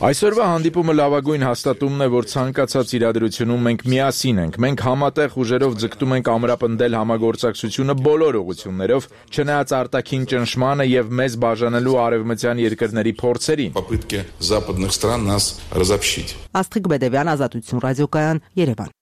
Այսօրվա հանդիպումը լավագույն հաստատումն է, որ ցանկացած իրադրությունում մենք միասին ենք։ Մենք համատեղ ուժերով ձգտում ենք ամրապնդել համագործակցությունը բոլոր ուղղություններով, չնայած արտաքին ճնշմանը եւ մեզ բաժանելու արևմտյան երկրների փորձերին։ Աստղիկ Բեդևյան, Ազատություն ռադիոկայան, Երևան։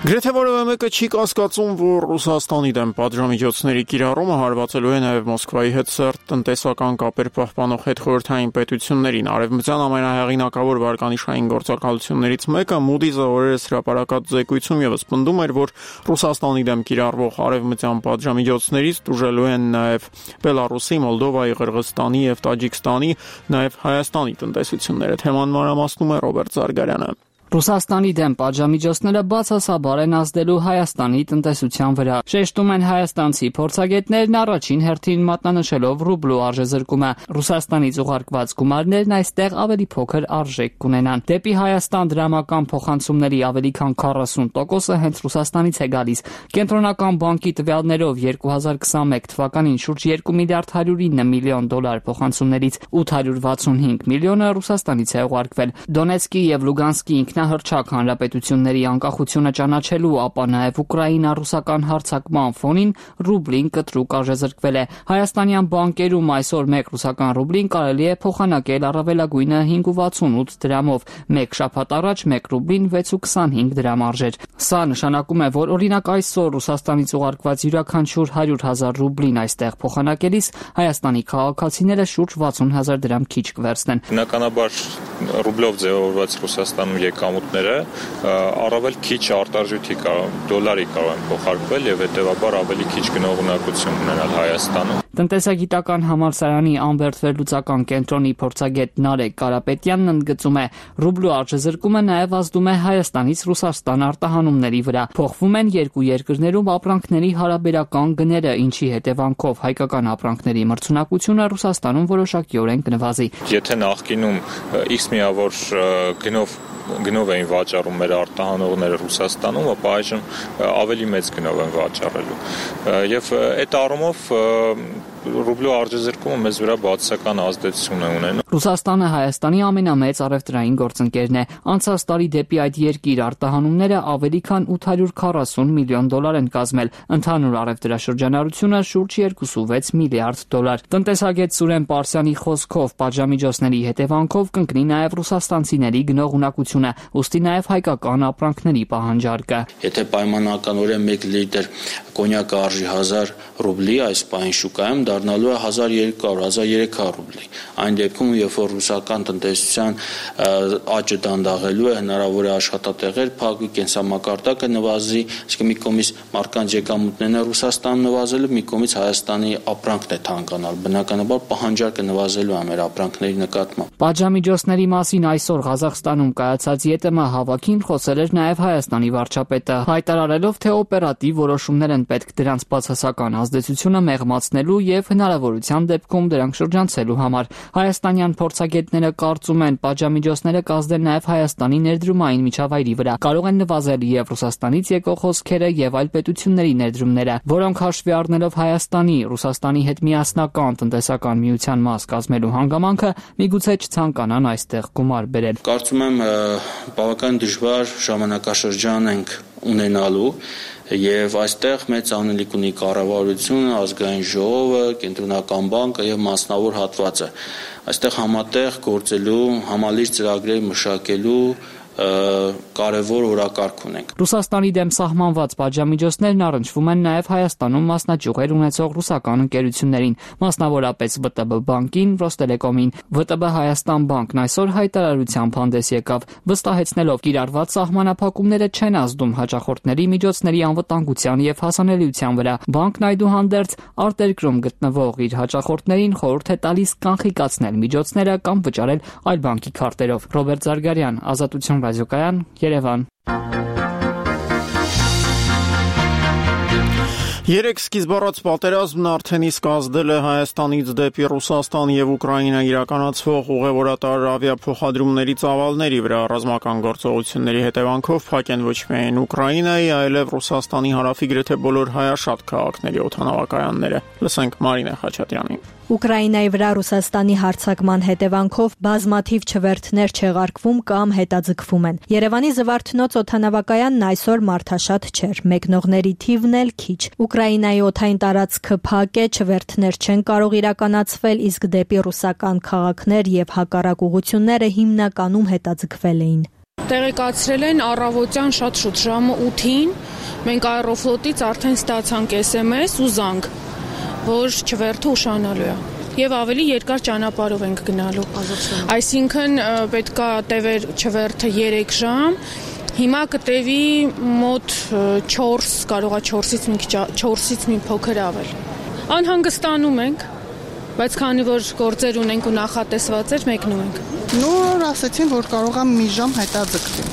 Գրեթե որևէ մեկը չի կասկածում, որ Ռուսաստանի դեմ պատժամիջոցների կիրառումը հարվածելու է նաև Մոսկվայի հետ սերտ տնտեսական կապեր պահպանող հետխորհրդային պետություններին։ Արևմտյան ամենահեղինակավոր վարկանիշային գործակալություններից մեկը Moody's-ը օրերս հրապարակած զեկույցում ևս պնդում էր, որ Ռուսաստանի դեմ կիրառվող արևմտյան պատժամիջոցներից տուժելու են նաև Բելարուսի, Մոլդովայի, Ղրղստանի եւ Տաջիկստանի, նաև Հայաստանի տնտեսությունները։ Թեման մանրամասնում է Ռոբերտ Զարգարյանը։ Ռուսաստանի դեմ պատժամիջոցները բացասաբար են ազդելու Հայաստանի տնտեսության վրա։ Շեշտում են հայաստանցի փորձագետներն առաջին հերթին մատնանշելով ռուբլու արժեզրկումը։ Ռուսաստանից ուղարկված գումարներն այստեղ ավելի փոքր արժեք կունենան։ Դեպի Հայաստան դրամական փոխանցումների ավելի քան քառասուն տոկոսը հենց Ռուսաստանից է գալիս։ Կենտրոնական բանկի տվյալներով երկու հազար քսանմեկ թվականին շուրջ երկու միլիարդ հարյուր ինը միլիոն դոլար փոխանցումներից ութ հարյուր վաթսունհինգ միլիոնը Ռուսաստանից է ուղարկվել։ Դոնեցկի եւ Լուգանսկի ինքնահռչակ հանրապետությունների անկախությունը ճանաչելու, ապա նաև ուկրաինա-ռուսական հարձակման ֆոնին ռուբլին կտրուկ արժեզրկվել է։ Հայաստանյան բանկերում այսօր մեկ ռուսական ռուբլին կարելի է փոխանակել առավելագույնը հինգ ու վաթսունութ դրամով, մեկ շաբաթ առաջ մեկ ռուբլին վեց ու քսանհինգ դրամ արժեր։ Սա նշանակում է, որ օրինակ այսօր Ռուսաստանից ուղարկված յուրաքանչյուր հարյուր հազար ռուբլին այստեղ փոխանակելիս Հայաստանի քաղաքացիները շուրջ վաթսուն հազար դրամ քիչ կվերցնեն։ Բնականաբար ռուբլով ձևավորված Ռուսաստանում եկամուտները առավել քիչ արտարժույթի կարող, դոլարի կարող են փոխարկվել եւ հետեւաբար ավելի քիչ գնողունակություն ունենալ Հայաստանում։ Տնտեսագիտական համալսարանի անվերթվելուծական կենտրոնի փորձագետ Նարեկ Կարապետյանն ընդգծում է, ռուբլու արժեզրկումը նաև ազդում է Հայաստանից Ռուսաստան արտահանումների վրա։ Փոխվում են երկու երկրներում ապրանքների հարաբերական գները, ինչի հետևանքով հայկական ապրանքների մրցունակությունը Ռուսաստանում որոշակիորեն կնվազի։ Եթե նախկինում X միավոր գնով գնով էին վաճառում մեր արտահանողները Ռուսաստանում, ապա այժմ ավելի մեծ գնով են վաճառելու։ Եվ այդ առումով ռուբլու արժեզրկումը մեզ վրա բացասական ազդեցություն է ունենում։ Ռուսաստանը Հայաստանի ամենամեծ առևտրային գործընկերն է։ Անցած տարի դեպի այդ երկիր արտահանումները ավելի քան ութ հարյուր քառասուն միլիոն դոլար են կազմել։ Ընդհանուր առևտրաշրջանառությունը շուրջ երկուսուվեց միլիարդ դոլար։ Տնտեսագետ Սուրեն Պարսյանի խոսքով պատժամիջոցների հետևանքով կընկնի նաև ռուսաստանցիների գնողունակությունը, ուստի նաև հայկական ապրանքների պահանջարկը։ Եթե պայմանականորեն մեկ լիտր կոնյակը արժի հազար ռուբլի, այս պահին շուկայում դառնալու է հազար երկու հարյուր - հազար երեք հարյուր ռուբլի։ Այն դեպքում, երբ որ ռուսական տնտեսության աճը դանդաղելու է, հնարավոր է աշխատատեղեր փակվի, կենսամակարդակը նվազի, այսինքն մի կողմից մարդկանց եկամուտներն է Ռուսաստանում նվազելու, մի կողմից Հայաստանի ապրանքն է թանկանալ։ Բնականաբար պահանջարկը նվազելու է մեր ապրանքների նկատմամբ։ Պատժամիջոցների մասին այսօր Ղազախստանում կայացած ԵՏՄ հավաքին խոսել էր նաև Հայաստանի վարչապետը, հայտարարելով, թե օպերատիվ որոշումներ են պետք դրանց բացասական ազդեցությունը մեղմացնելու եւ հնարավորության դեպքում դրանք շրջանցելու համար։ Հայաստանյան փորձագետները կարծում են, պատժամիջոցները կազդեն նաև Հայաստանի ներդրումային միջավայրի վրա, կարող են նվազել եւ Ռուսաստանից եկող հոսքերը եւ այլ պետությունների ներդրումները, որոնք հաշվի առնելով Հայաստանի, Ռուսաստանի հետ միասնական տնտեսական միության մաս կազմելու հանգամանքը, միգուցե չցանկանան այստեղ գումար բերել։ Կարծում եմ բավական դժվար ժամանակաշրջան ենք ունենալու եւ այստեղ մեծ անելիք ունի կառավարությունը, ազգային ժողովը, կենտրոնական բանկը եւ մասնավոր հատվածը։ Այստեղ համատեղ գործելու, համալիր ծրագրեր մշակելու կարևոր օրակարգ ունենք։ Ռուսաստանի դեմ սահմանված պատժամիջոցներն առնչվում են նաև Հայաստանում մասնաճյուղեր ունեցող ռուսական ընկերություններին, մասնավորապես ՎՏԲ բանկին, Ռոստելեկոմին։ ՎՏԲ Հայաստան բանկն այսօր հայտարարությամբ հանդես եկավ, վստահեցնելով կիրառված սահմանափակումները չեն ազդում հաճախորդների միջոցների անվտանգության եւ հասանելիության վրա։ Բանկն այդուհանդերձ արտերկրում գտնվող իր հաճախորդներին խորհուրդ է տալիս կանխիկացնել միջոցները կամ վճարել այլ բանկի քարտերով։ Ռոբերտ Զարգարյան, Ազատություն ռադիոկայան, Երևան։ Երեք սկիզբառած պատերազմն արդեն իսկ ազդել է Հայաստանից դեպի Ռուսաստան եւ Ուկրաինա իրականացվող ուղևորատար ավիափոխադրումների ծավալների վրա ռազմական գործողությունների հետևանքով փակ են ոչ միայն Ուկրաինայի, այլև Ռուսաստանի հարավի գրեթե բոլոր հայաշատ քաղաքների օդանավակայանները։ Լսենք Մարինե Խաչատրյանին։ Ուկրաինայի վրա Ռուսաստանի հարձակման հետևանքով բազմաթիվ չվերթներ չեղարկվում կամ հետաձգվում են։ Երևանի Զվարթնոց օդանավակայանն այսօր մարդաշատ չէր, մեկնողների թիվն էլ քիչ։ Ուկրաինայի օդային տարածքը փակ է, չվերթներ չեն կարող իրականացվել, իսկ դեպի ռուսական քաղաքներ եւ հակառակ ուղությունները հիմնականում հետաձգվել էին։ Տեղեկացրել են առավոտյան շատ շուտ ժամը ութին, մենք Aeroflot-ից արդեն ստացանք S M S ու զանգ, որ չվերթը ուշանալու է եւ ավելի երկար ճանապարհով ենք գնալու։ Այսինքն պետքա տևեր չվերթը երեք ժամ, հիմա կտևի մոտ չորս, կարողա չորսից մի քիչ չորսից մի փոքր ավել։ Անհանգստանում ենք, բայց քանի որ գործեր ունենք ու նախատեսված էր, մեկնում ենք։ Նոր ասեցին, որ կարողա մի ժամ հետաձգվի։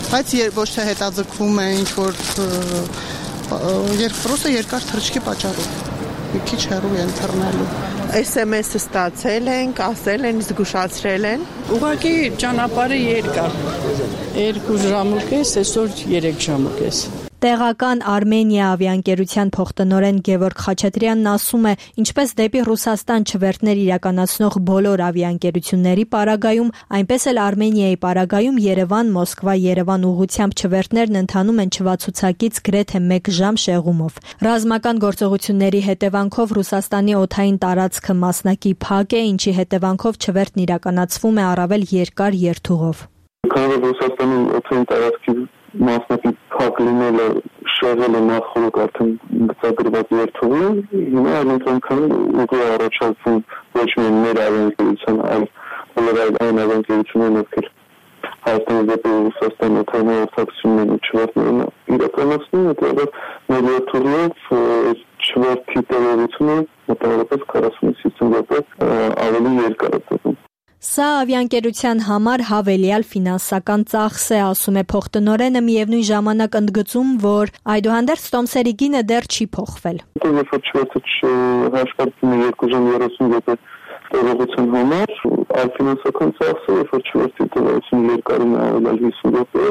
Բայց ոչ թե հետաձգվում է ինչ որ երբ պրոսը երկար թռիչքի պատճառով մի քիչ հեռու են թռնելու։ S M S-ը ստացել ենք, ասել են, զգուշացրել են։ Ուղղակի ճանապարհը երկար։ երկու ժամ ու կես, այսօր երեք ժամ ու կես։ Տեղական Արմենիա ավիաընկերության փոխտնօրեն Գևորգ Խաչատրյանն ասում է, ինչպես դեպի Ռուսաստան չվերթներ իրականացնող բոլոր ավիաընկերությունների պարագայում, այնպես էլ Արմենիայի պարագայում Երևան-Մոսկվա-Երևան ուղղությամբ չվերթներն ընթանում են չվացուցակից գրեթե մեկ ժամ շեղումով։ Ռազմական գործողությունների հետևանքով Ռուսաստանի օդային տարածքը մասնակի փակ է, ինչի հետևանքով չվերթն իրականացվում է առավել երկար երթուղով։ Քանի որ Ռուսաստանի օդային տարածքի մասնակի փակ լինելը շեղել է նախորդ արդեն գծագրված երթուղին, հիմա այնքան ուղի առաջացում ոչ միայն մեր ավիաընկերության, այլ բոլոր այն ավիաընկերություններն, ովքեր Հայաստանի դեպի Ռուսաստան օդային արտադրությունների չվերթներն իրականացնում են, որտեղ մեր երթուղով չվերթի Ինչի տևողությունը մոտավորապես քառասունից հիսուն րոպե ավելի երկար է տևում։ Սա ավիաընկերության համար հավելյալ ֆինանսական ծախս է, ասում է փոխտնօրենը, միևնույն ժամանակ ընդգծում, որ այդուհանդերձ տոմսերի գինը դեռ չի փոխվել։ Երբ որ չվերթը հաշվարկվում է երկու ժամ երեսուն րոպե տևողության համար, այլ ֆինանսական ծախսը, երբ որ չվերթի տևողությունը երկարին է ավելի հիսուն րոպե,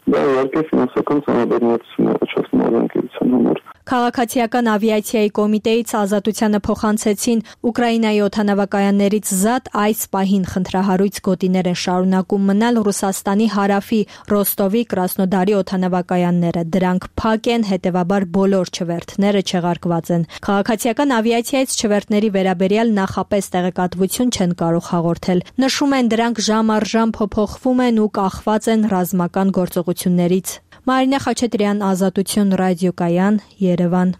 դա իհարկե ֆինանսական ծանրաբեռնվածություն է առաջացնում ավիաընկերության համար։ Քաղաքացիական ավիացիայի կոմիտեից Ազատությանը փոխանցեցին Ուկրաինայի օդանավակայաններից զատ այս պահին խնդրահարույց գոտիներ են շարունակում մնալ Ռուսաստանի հարավի Ռոստովի, Կրասնոդարի օդանավակայանները։ Դրանք փակ են, հետևաբար բոլոր չվերթները չեղարկված են։ Քաղաքացիական ավիացիայից չվերթների վերաբերյալ նախապես տեղեկատվություն չեն կարող հաղորդել։ Նշում են, դրանք ժամ առ ժամ փոփոխվում են ու կախված են ռազմական գործողություններից։ Մարինա Խաչատրյան, Ազատություն ռադիոկայան, Երևան։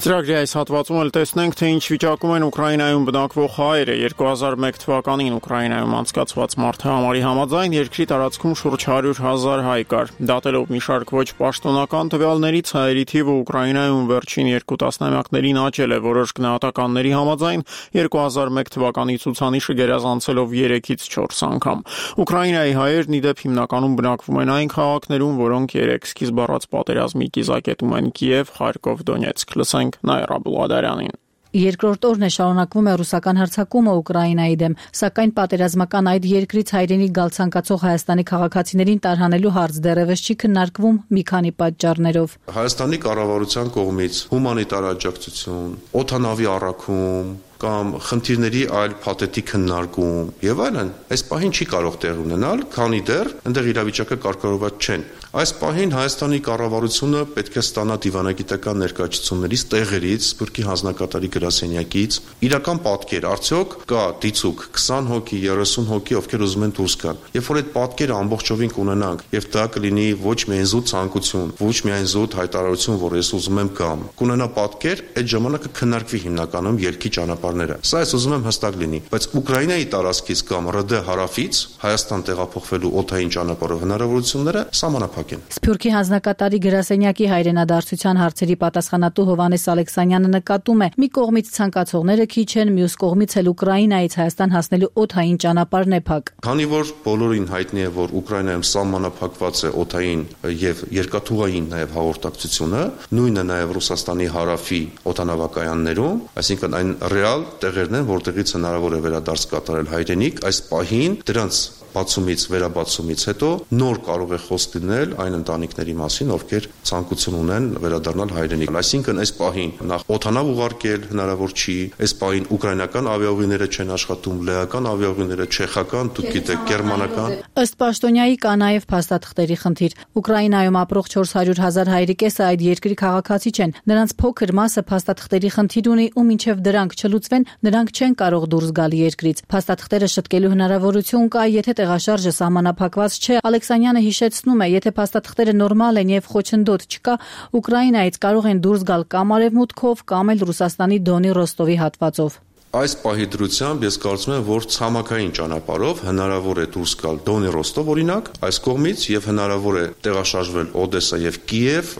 Ծրագրի այս հատվածում էլ տեսնենք, թե ինչ վիճակում են Ուկրաինայում բնակվող հայերը։ երկու հազար մեկ թվականին Ուկրաինայում անցկացված մարդահամարի համաձայն երկրի տարածքում շուրջ հարյուր հազար հայ կար։ Դատելով մի շարք ոչ պաշտոնական տվյալներից, հայերի թիվը Ուկրաինայում վերջին երկու տասնամյակներին աճել է, որոշ գնահատականների համաձայն երկու հազար մեկ թվականի ցուցանիշը գերազանցելով երեքից չորս անգամ։ Ուկրաինայի հայերն ի դեպ հիմնականում բնակվում են այն քաղաքներում, որոնք երեք սկիզբ առած պատերազմի կիզակետում են՝ Կիև, Խարկով, Դոնեցկ։ Լսենք Նաիրա Բլադարյանին։ Երկրորդ օրն է շարունակվում է ռուսական հարձակումը Ուկրաինայի դեմ, սակայն պատերազմական այդ երկրից հայրենիք գալ ցանկացող Հայաստանի քաղաքացիներին տարհանելու հարց դեռևս չի քննարկվում մի քանի պատճառներով։ Հայաստանի կառավարության կողմից հումանիտար աջակցություն, օդանավի առաքում կամ խնդիրների այլ փաթեթի քննարկում եւ այլն այս պահին չի կարող տեղ ունենալ, քանի դեռ այնտեղ իրավիճակը կարգավորված չեն։ Այս պահին Հայաստանի կառավարությունը պետք է ստանա դիվանագիտական ներկայացություններից, տեղերից, Սփյուռքի հանձնակատարի գրասենյակից իրական պատկեր, արդյոք կա դիցուկ քսան հոգի, երեսուն հոգի, ովքեր ուզում են դուրս գալ։ Երբ որ այդ պատկերը ամբողջովին կունենանք եւ դա կլինի ոչ միայն զուտ ցանկություն, ոչ միայն զուտ հայտարարություն, որ ես ուզում եմ գամ, կունենա պատկեր, այդ ժամանակ կքննարկվի հիմնականում երկի ճանապարհները։ Սա ես ուզում եմ հստակ լինի, բայց Ուկրաինայի տարածքից կամ ՌԴ հարավից Հայաստան տեղափոխվելու օդային ճանապարհով հնարավորությունները սահմանափակ են։ Սփյուռքի հանձնակատարի գրասենյակի հայրենադարձության հարցերի պատասխանատու Հովանես Ալեքսանյանը նկատում է, մի կողմից ցանկացողները քիչ են, մյուս կողմից էլ Ուկրաինայից Հայաստան հասնելու օդային ճանապարհն է փակ։ Քանի որ բոլորին հայտնի է, որ Ուկրաինայում սահմանափակված է օդային եւ երկաթուղային նաեւ հաղորդակցությունը, նույնը նաեւ Ռուսաստանի հարավի օդանավակայաններում, այսինքն այն ռեալ տեղերն են, որտեղից հնարավոր է վերադարձ կատարել հայրենիք, այս պահին դրանց բացումից, վերաբացումից հետո նոր կարող է խոսք լինել այն ընտանիքների մասին, ովքեր ցանկություն ունեն վերադառնալ հայրենիք։ Այսինքն այս պահին նախ օդանավ ուղարկել հնարավոր չի, այս պահին ուկրաինական ավիաուղիները չեն աշխատում, լեհական ավիաուղիները, չեխական, դուք գիտեք, գերմանական։ Ըստ պաշտոնյայի կա նաև փաստաթղթերի խնդիր։ Ուկրաինայում ապրող չորս հարյուր հազար հայերի կեսը այդ երկրի քաղաքացի չեն։ Նրանց փոքր մասը փաստաթղթերի խնդիր ունի ու մինչև դրանք չլուծվեն, նրանք չեն կարող դուրս գալ երկրից։ Փաստաթղթերը շտկելու հնարավորություն կա, եթե տեղաշարժը սահմանափակված չէ։ Ալեքսանյանը հիշեցնում է, եթե փաստաթղթերը նորմալ են եւ խոչընդոտ չկա, Ուկրաինայից կարող են դուրս գալ կամ արևմուտքով, կամ էլ Ռուսաստանի Դոնի Ռոստովի հատվածով։ Այս պահի դրությամբ ես կարծում եմ, որ ցամաքային ճանապարհով հնարավոր է դուրս գալ Դոնի Ռոստով օրինակ, այս կողմից եւ հնարավոր է տեղաշարժվել Օդեսա եւ Կիև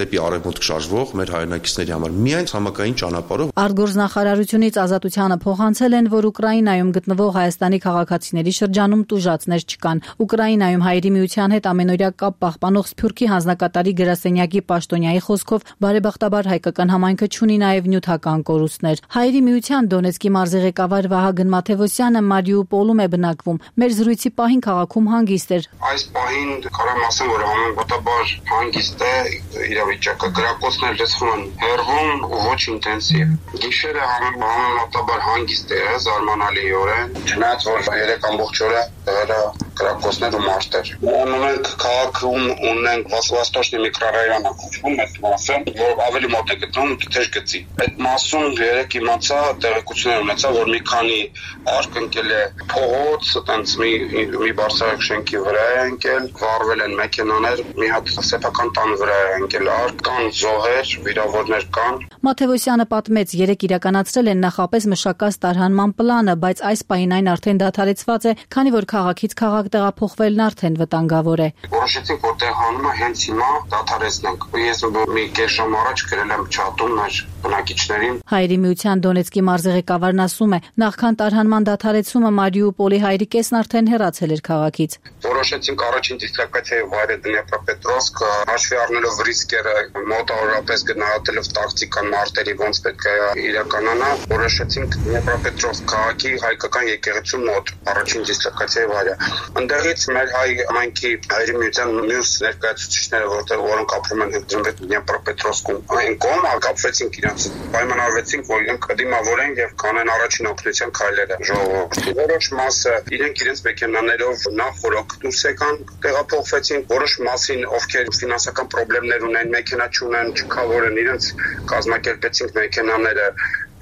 դեպի արևմուտք շարժվող մեր հայրենակիցների համար միայն ցամաքային ճանապարհով։ Արտգործնախարարությունից Ազատությանը փոխանցել են, որ Ուկրաինայում գտնվող Հայաստանի քաղաքացիների շրջանում տուժածներ չկան։ Ուկրաինայում Հայերի միության հետ ամենօրյա կապ պահպանող Սփյուռքի հանձնակատարի գրասենյակի պաշտոնյայի խոսքով բարեբախտաբար հայկական համայնքը չունի նաեւ նյութական կորուստներ։ Հայերի միության Դոնեցկ մարզի ղեկավար Վահագն Մաթևոսյանը Մարիուպոլում է բնակվում։ Մեր զրույցի պահին քաղաքում հանգիստ էր։ Այս պահին կարամ ասեմ, որ համեմատաբար հանգիստ է իրավիճակը, գրակոծներ լսվում են հեռվում ու ոչ ինտենսիվ։ Գիշերը համեմատաբար հանգիստ է, զարմանալիորեն, չնայած որ երեք ամբողջ օրը դրա կրակոցներ ու մարտեր։ Ունենք քաղաքում ունենք Վասվաստոշնի միկրոռայոնը կոչվում այդ մասը, որ ավելի մոտ է գտնվում Թեժ գծի։ Այդ մասում երեք իմացա տեղեկություններ ունեցա, որ մի քանի արկընկել է փողոց, այտենց մի մի բարձրակ շենքի վրա է ընկել, վառվել են մեքենաներ, մի հատ սեփական տան վրա է ընկել արկ, կան զոհեր, վիրավորներ կան։ Մաթևոսյանը պատմեց, երեք իրականացրել են նախապես մշակած տարհանման պլանը, բայց այս պահին այն արդեն դադարեցված է, քանի որ քաղաքից քաղաք տեղափոխվելն արդեն վտանգավոր է։ Որոշեցինք, որ տեղանումը հենց հիմա դադարեցնենք։ Ես մի կես ժամ առաջ գրել եմ չաթում մեր բնակիչներին։ Հայերի միության Դոնեցկի մարզի ղեկավարն ասում է, նախքան տարհանման դադարեցումը Մարիուպոլի հայերի կեսն արդեն հեռացել էր քաղաքից։ Որոշեցինք առաջին դիսլոկացիայի վայրը Դնեպրոպետրովսկ, հաշվի առնելով ռիսկերը, մոտավորապես գնահատելով տակտիկան մարտերի ոնց պետք է իրականանա, որոշեցինք Դնեպրոպետրովսկ քաղաքի հայկական եկեղեցու մոտ առաջին դիսլոկացիայի վայրը։ Այնտեղից մեր հայ ամենքի հայերի միության մյուս ներկայացուցիչները, որտեղ որոնք ապրում են Դնեպրոպետրովսկում, այն կողմ կապվեցինք իրենց, պայմանավորվեցինք, որ իրենք կդիմավորեն եւ կանեն առաջին օգնության քայլերը ժողովրդի։ Որոշ մասը իրենք իրենց մեքենաներով նախ որ դուրս եկան, տեղափոխվեցին, որոշ մասին ովքեր ֆինանսական խնդիրներ ունեն, մեքենա չունեն, չքավորեն, իրենց կազմակերպեցինք մեքենաները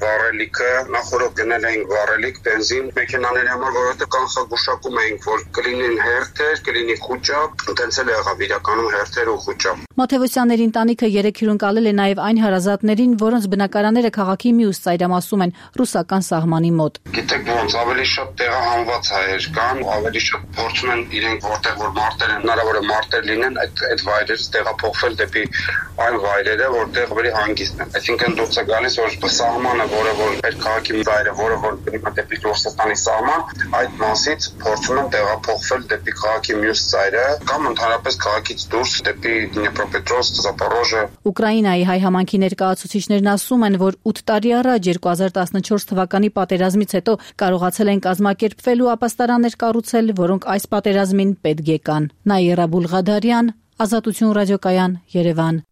վառելիքը, նախորդ գնել էինք վառելիք, բենզին, մեքենաների համար, որովհետև կանխագուշակում էինք, որ կլինին հերթեր, կլինի խուճապ, տենց էլ եղավ իրականում հերթեր ու խուճապ։ Մաթևոսյանների ընտանիքը երեք հյուրընկալել է նաև այն հարազատներին, որոնց բնակարանները քաղաքի մյուս ծայրամասում են ռուսական սահմանի մոտ։ Գիտեք ոնց, ավելի շատ տեղահանված հայեր կան, ավելի շատ փորձում են իրենք որտեղ որ մարտեր են, հնարավոր է մարտեր լինեն, այդ այդ վայրերից տեղափոխվել դեպի այն վայրերը, որտեղ ավելի հանգիստ են։ Այսինքն դուրս է գալիս, որ սահմանը որը որ այդ քաղաքի վայրը, որը որ գնում է դեպի Ռուսաստանի սահման, այդ մասից փորձում են տեղափոխվել դեպի քաղաքի մյուս ծայրը կամ ընդհանրապես քաղաքից դուրս դեպի Դնեպրոպետրովսկ, Զապորոժը։ Ուկրաինայի հայ համայնքի ներկայացուցիչներն ասում են, որ ութ տարի առաջ երկու հազար տասնչորս թվականի պատերազմից հետո կարողացել են կազմակերպվել ու ապաստարաններ կառուցել, որոնք այս պատերազմին պետք եկան։ Նաիրա Բուլղադարյան, Ազատություն ռադիոկայան, Երևան։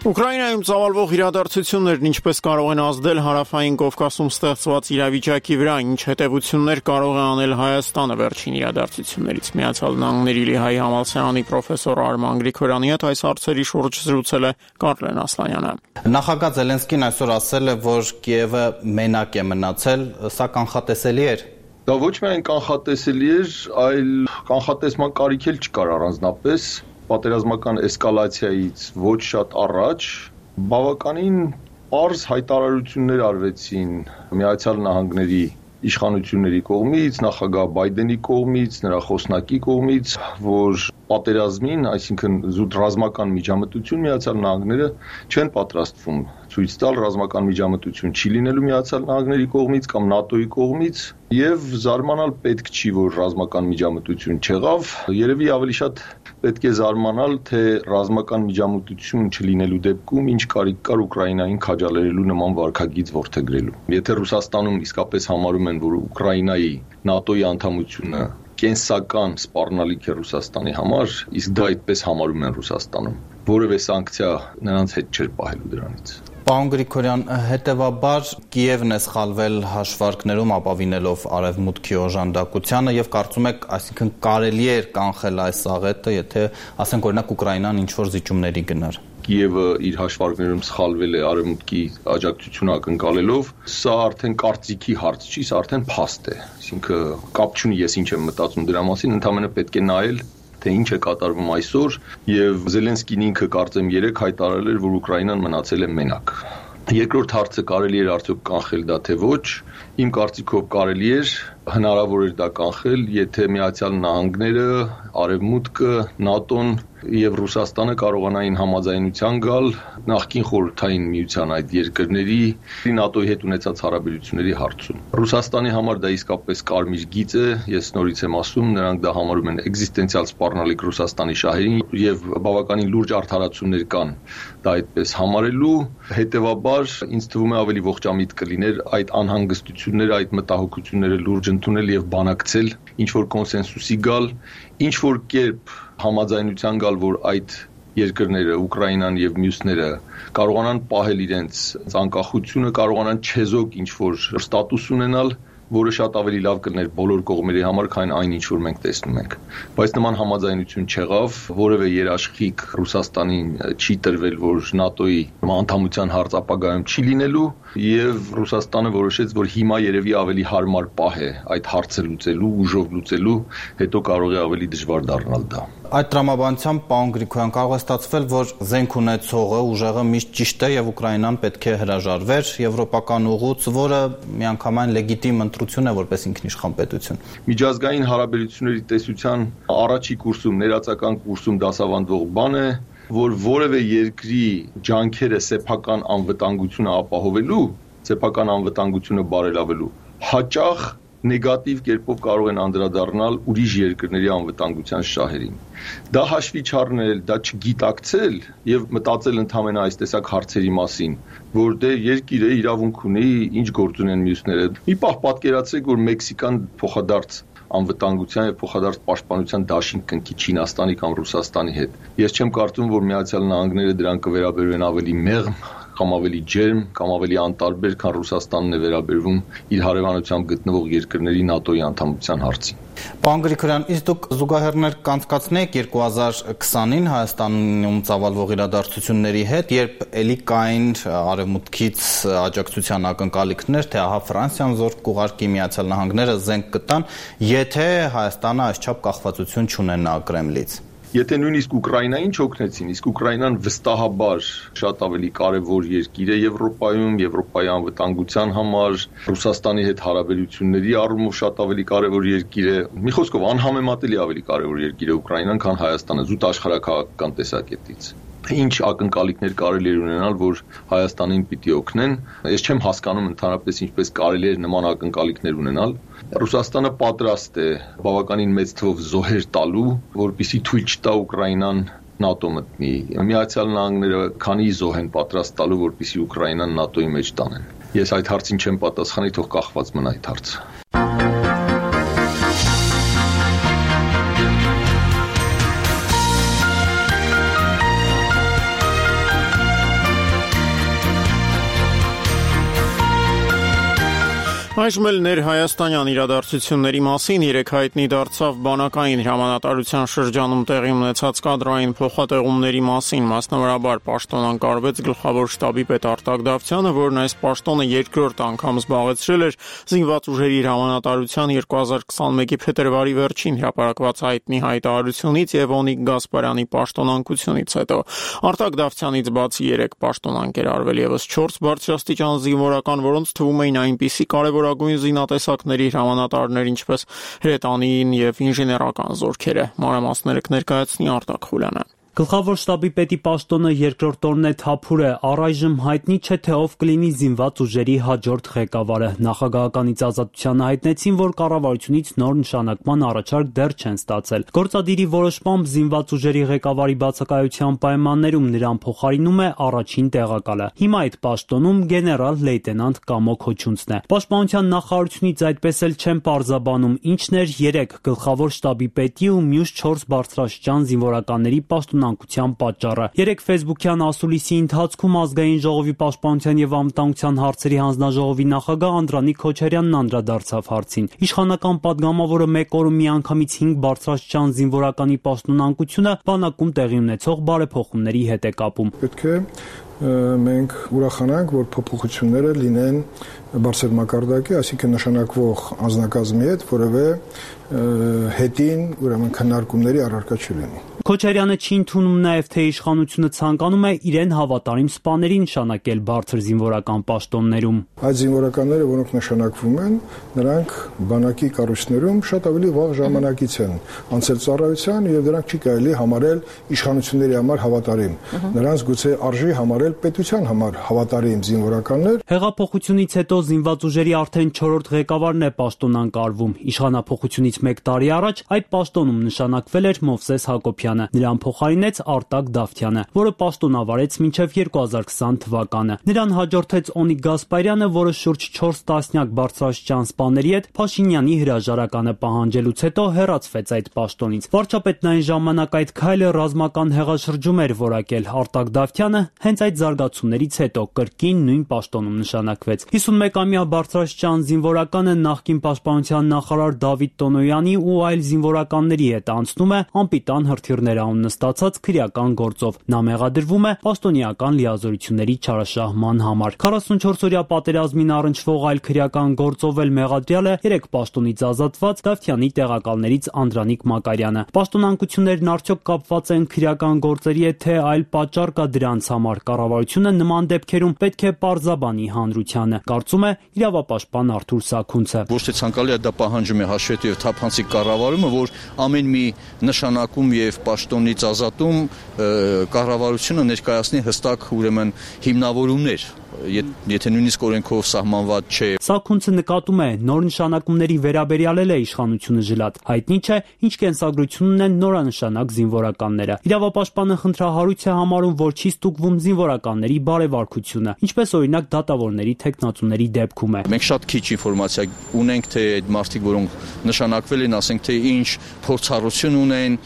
Ուկրաինայում ծավալվող իրադարձություններն ինչպես կարող են ազդել հարավային Կովկասում ստեղծված իրավիճակի վրա, ինչ հետևություններ կարող է անել Հայաստանը վերջին իրադարձություններից։ Միացյալ Նահանգների Լիհայի համալսարանի պրոֆեսոր Արման Գրիգորյանի հետ այս հարցերի շուրջ զրուցել է Կարլեն Ասլանյանը։ Նախագահ Զելենսկին այսօր ասել է, որ Կիևը մենակ է մնացել, սա կանխատեսելի էր։ Դա ոչ միայն կանխատեսելի էր, այլ կանխատեսման կարիք էլ չկար առանձնապես։ Պատերազմական էսկալացիայից ոչ շատ առաջ բավականին պարզ հայտարարություններ արվեցին Միացյալ Նահանգների իշխանությունների կողմից, նախագահ Բայդենի կողմից, նրա խոսնակի կողմից, որ պատերազմին, այսինքն զուտ ռազմական միջամտություն Միացյալ Նահանգները չեն պատրաստվում ցույց տալ, ռազմական միջամտություն չի լինելու Միացյալ Նահանգների կողմից կամ ՆԱՏՕ-ի կողմից, եւ զարմանալ պետք չի, որ ռազմական միջամտություն չեղավ, երևի ավելի շատ պետք է զարմանալ, թե ռազմական միջամտություն չլինելու դեպքում ինչ կարիք կար Ուկրաինային քաջալերելու նման վարքագիծ որդեգրելու։ Եթե Ռուսաստանում իսկապես համարում են, որ Ուկրաինայի ՆԱՏՕ-ի անդամությունը կենսական սպառնալիք է Ռուսաստանի համար, իսկ դա այդպես համարում են Ռուսաստանում, որևէ սանկցիա նրանց հետ չէր պահելու դրանից։ Պարոն Գրիգորյան, հետևաբար Կիևն է սխալվել հաշվարկներում ապավինելով Արևմուտքի օժանդակությանը եւ կարծում եք, այսինքն կարելի էր կանխել այս աղետը, եթե ասենք օրինակ Ուկրաինան ինչ-որ զիջումների գնար։ Կիևը իր հաշվարկներում սխալվել է Արևմուտքի աջակցությունը ակնկալելով, սա արդեն կարծիքի հարց չի, սա արդեն փաստ է։ Այսինքն կապ չունի ես ինչ եմ մտածում դրա մասին, ընդհանրապես պետք է նայել թե ինչ է կատարվում այսօր, եւ Զելենսկին ինքը կարծեմ երեք հայտարարել էր, որ Ուկրաինան մնացել է մենակ։ Երկրորդ հարցը կարելի էր արդյոք կանխել դա թե ոչ, իմ կարծիքով կարելի էր, հնարավոր էր դա կանխել, եթե Միացյալ Նահանգները, Արևմուտքը, ՆԱՏՕ-ն եւ Ռուսաստանը կարողանային համաձայնության գալ նախկին խորհրդային միության այդ երկրների ՆԱՏՕ-ի հետ ունեցած հարաբերությունների հարցում։ Ռուսաստանի համար դա իսկապես կարմիր գիծ է, ես նորից եմ ասում, նրանք դա համարում են էկզիստենցիալ սպառնալիք Ռուսաստանի շահերին եւ բավականին լուրջ արդարացումներ կան դա այդպես համարելու, հետեւաբար ինձ թվում է ավելի ողջամիտ կլիներ այդ անհանգստությունները, այդ մտահոգությունները լուրջ ընդունել եւ բանակցել, ինչ որ կոնսենսուսի գալ, ինչ որ կերպ համաձայնության գալ, որ այդ երկրները, Ուկրաինան եւ մյուսները կարողանան պահել իրենց անկախությունը, կարողանան չեզոք ինչ որ ստատուս ունենալ, որը շատ ավելի լավ կլներ բոլոր կողմերի համար, քան այն ինչ որ մենք տեսնում ենք։ Բայց նման համաձայնություն չեղավ, որևէ երաշխիք Ռուսաստանին չի տրվել, որ ՆԱՏՕ-ի անդամության հարց ապագայում չի լինելու, եւ Ռուսաստանը որոշեց, որ հիմա երևի ավելի հարմար պահ է այդ հարցը լուծելու, ուժով լուծելու, հետո կարող է ավելի դժվար դառնալ դա։ Այդ տրամաբանությամբ, պարոն Գրիգորյան, կարող է ստացվել, որ զենք ունեցողը, ուժեղը միշտ ճիշտ է եւ Ուկրաինան պետք է հրաժարվեր եվրոպական ուղուց, որը միանգամայն լեգիտիմ ընտրություն է որպես ինքնիշխան պետություն։ Միջազգային հարաբերությունների տեսության առաջի կուրսում, ներածական կուրսում դասավանդվող բան է, որ որևէ երկրի ջանքերը սեփական անվտանգությունը ապահովելու, սեփական անվտանգությունը բարելավելու հաճախ նեգատիվ կերպով կարող են անդրադառնալ ուրիշ երկրների անվտանգության շահերին։ Դա հաշվի չառնել, դա չգիտակցել եւ մտածել ընդհանրապես այս տեսակ հարցերի մասին, որ դե երկիրը իրավունք ունի, ինչ գործ ունեն մյուսները։ Մի պահ պատկերացրեք, որ Մեքսիկան փոխադարձ անվտանգության եւ փոխադարձ պաշտպանության դաշինք կնքի Չինաստանի կամ Ռուսաստանի հետ։ Ես չեմ կարծում, որ Միացյալ Նահանգները դրան կվերաբերվեն ավելի մեղմ կամ ավելի ջերմ կամ ավելի անտարբեր, քան Ռուսաստանն է վերաբերվում իր հարևանությամբ գտնվող երկրների ՆԱՏՕ-ի անդամության հարցին։ Պարոն Գրիգորյան, իսկ դուք զուգահեռներ կանցկացնեք երկու հազար քսանին Հայաստանում ծավալվող իրադարձությունների հետ, երբ էլի կային արևմուտքից աջակցության ակնկալիքներ, թե ահա Ֆրանսիան զորք կուղարկի, Միացյալ Նահանգները զենք կտան, եթե Հայաստանը այսչափ կախվածություն չունենա Կրեմլից։ Եթե նույնիսկ Ուկրաինային չօգնեցին, իսկ Ուկրաինան վստահաբար շատ ավելի կարևոր երկիր է Եվրոպայում, Եվրոպայի անվտանգության համար, Ռուսաստանի հետ հարաբերությունների առումով շատ ավելի կարևոր երկիր է։ Մի խոսքով անհամեմատելի ավելի կարևոր երկիր է Ուկրաինան, քան Հայաստանը զուտ աշխարհաքաղաքական տեսակետից։ Ինչ ակնկալիքներ կարելի է ունենալ, որ Հայաստանին պիտի օգնեն։ Ես չեմ հասկանում ընդհանրապես ինչպես կարելի է նման ակնկալիքներ ունենալ։ Ռուսաստանը պատրաստ է բավականին մեծ թվով զոհեր տալու, որպեսզի թույլ չտա Ուկրաինան ՆԱՏՕ մտնի։ Միացյալ Նահանգները քանի զոհ են պատրաստ տալու, որպեսզի Ուկրաինան ՆԱՏՕ-ի մեջ տանեն։ Ես այդ հարցին չեմ պատասխանի, թող կախված մնա այդ հարցը։ Այժմ էլ ներհայաստանյան իրադարձությունների մասին երեք հայտնի դարձավ բանակային հրամանատարության շրջանում տեղի ունեցած կադրային փոխատեղումների մասին, մասնավորաբար պաշտոնանկարվեց գլխավոր շտաբի պետ Արտակ Դավթյանը, որն այս պաշտոնը երկրորդ անգամ զբաղեցրել էր զինված ուժերի հրամանատարության երկու հազար քսանմեկի փետրվարի վերջին հրապարակված հայտնի հայտարարությունից եւ Օնիկ Գասպարյանի պաշտոնանկությունից հետո։ Արտակ Դավթյանից բացի երեք պաշտոնանկ էր արվել եւս չորս բարձրաստիճան զինվորական, որոնց թվում էին այնպիսի կարևոր գույն զինատեսակների հրամանատարներ, ինչպես հրետանիին եւ ինժեներական զորքերը։ Մանրամասները կներկայացնի Արտակ Խուլյանը։ Գլխավոր շտաբի պետի պաշտոնը երկրորդ օրն է թափուր է, առայժմ հայտնի չէ թե ով կլինի զինված ուժերի հաջորդ ղեկավարը։ Նախագահականից Ազատությանը հայտնեցին, որ կառավարությունից նոր նշանակման առաջարկ դեռ չեն ստացել։ Գործադիրի որոշմամբ զինված ուժերի ղեկավարի բացակայության պայմաններում նրան փոխարինում է առաջին տեղակալը։ Հիմա այդ պաշտոնում գեներալ լեյտենանտ Կամո Քոչունցն է։ Պաշտպանության նախարարությունից այդպես էլ չեն պարզաբանում ինչն էր երեք գլխավոր շտաբի պետի ու մյուս չորս բարձրաստիճան զինվորականների պաշտոնը պատճառը։ Երեք ֆեյսբուքյան ասուլիսի ընթացքում ազգային ժողովի պաշտպանության եւ անվտանգության հարցերի հանձնաժողովի նախագահ Անդրանիկ Քոչարյանն անդրադարձավ հարցին։ Իշխանական падգամավորը մեկ օրում միանգամից հինգ բարձրաստիճան զինվորականի պաշտոնանկությունը բանակում տեղի ունեցող բարեփոխումների հետ է կապում։ Պետք է մենք ուրախանանք, որ փոփոխությունները լինեն բարձր մակարդակի, այսինքն նշանակվող անձնակազմի հետ որևէ հետին, ուրեմն քննարկումների առարկա չլինի։ Քոչարյանը չի ընդունում նաև, թե իշխանությունը ցանկանում է իրեն հավատարիմ սպաների նշանակել բարձր զինվորական պաշտոններում։ Այդ զինվորականները, որոնք նշանակվում են, նրանք բանակի կառույցներում շատ ավելի վաղ ժամանակից են անցել ծառայության եւ դրանք չի կարելի համարել իշխանությունների համար հավատարիմ։ Նրանց գուցե արժի համարել պետության համար հավատարիմ զինվորականներ։ Հեղափոխությունից հետո զինված ուժերի արդեն չորրորդ ղեկավարն է պաշտոնանկարվում։ Իշխանափոխությունից մեկ տարի առաջ այդ պաշտոնում նշանակվել էր Մովսես Հակոբյանը։ Նրան փոխարինեց Արտակ Դավթյանը, որը պաշտոնավարեց մինչև երկու հազար քսան թվականը։ Նրան հաջորդեց Օնիկ Գասպարյանը, որը շուրջ չորս տասնյակ բարձրաստիճան սպաների հետ Փաշինյանի հրաժարականը պահանջելուց հետո հեռացվեց այդ պաշտոնից։ Վարչապետն այն ժամանակ այդ քայլը ռազմական հեղաշրջում էր որակել։ Արտակ Դավթյանը հենց այդ զարգացումներից հետո կրկին նույն պաշտոնում նշանակվեց։ հիսունմեկամյա բարձրաստիճան զինվորականը նախկին պաշտպանության նախարար Դավիթ Տոնոյանի ու այլ զինվորականների հետ անցնում է անպիտան հրթիռներ անուն նստացած քրեական գործով։ Նա մեղադրվում է պաշտոնեական լիազորությունների չարաշահման համար։ քառասունչորս-օրյա պատերազմին առնչվող այլ քրեական գործով էլ մեղադրյալ է երեք պաշտոնից ազատված Դավթյանի տեղակալներից Անդրանիկ Մակարյանը։ Պաշտոնանկություններն արդյոք կապված են քրեական գործերի հետ, թե այլ պատճառ կա դրանց համար։ Կառավարությունը նման դեպքերում պետք է պարզաբանի հանրությանը, կարծում է իրավապաշտպան Արթուր Սաքունցը։ Ոչ թե ցանկալի է դա պահանջում է հաշվետու եւ թափանցիկ կառավարումը, որ ամեն մի նշանակում եւ պաշտոնից ազատում կառավարությունը ներկայացնի հստակ ուրեմն հիմնավորումներ, եթե նույնիսկ օրենքով սահմանված չէ։ Սաքունցը նկատում է, նոր նշանակումների վերաբերյալ է իշխանությունը ժլատ։ Հայտնի չէ, ինչ կենսագրություն ունեն նորանշանակ զինվորականները։ Իրավապաշտպանը խնդրահարույց է համարում, որ չի ստուգվում զինվորականների բարեվարքությունը, ինչպես օրինակ դատավորների թեկնածուների դեպքում է։ Մենք շատ քիչ ինֆորմացիա ունենք, թե այդ մարդիկ, որոնք նշանակվել են, ասենք թե ինչ փորձառություն ունեն,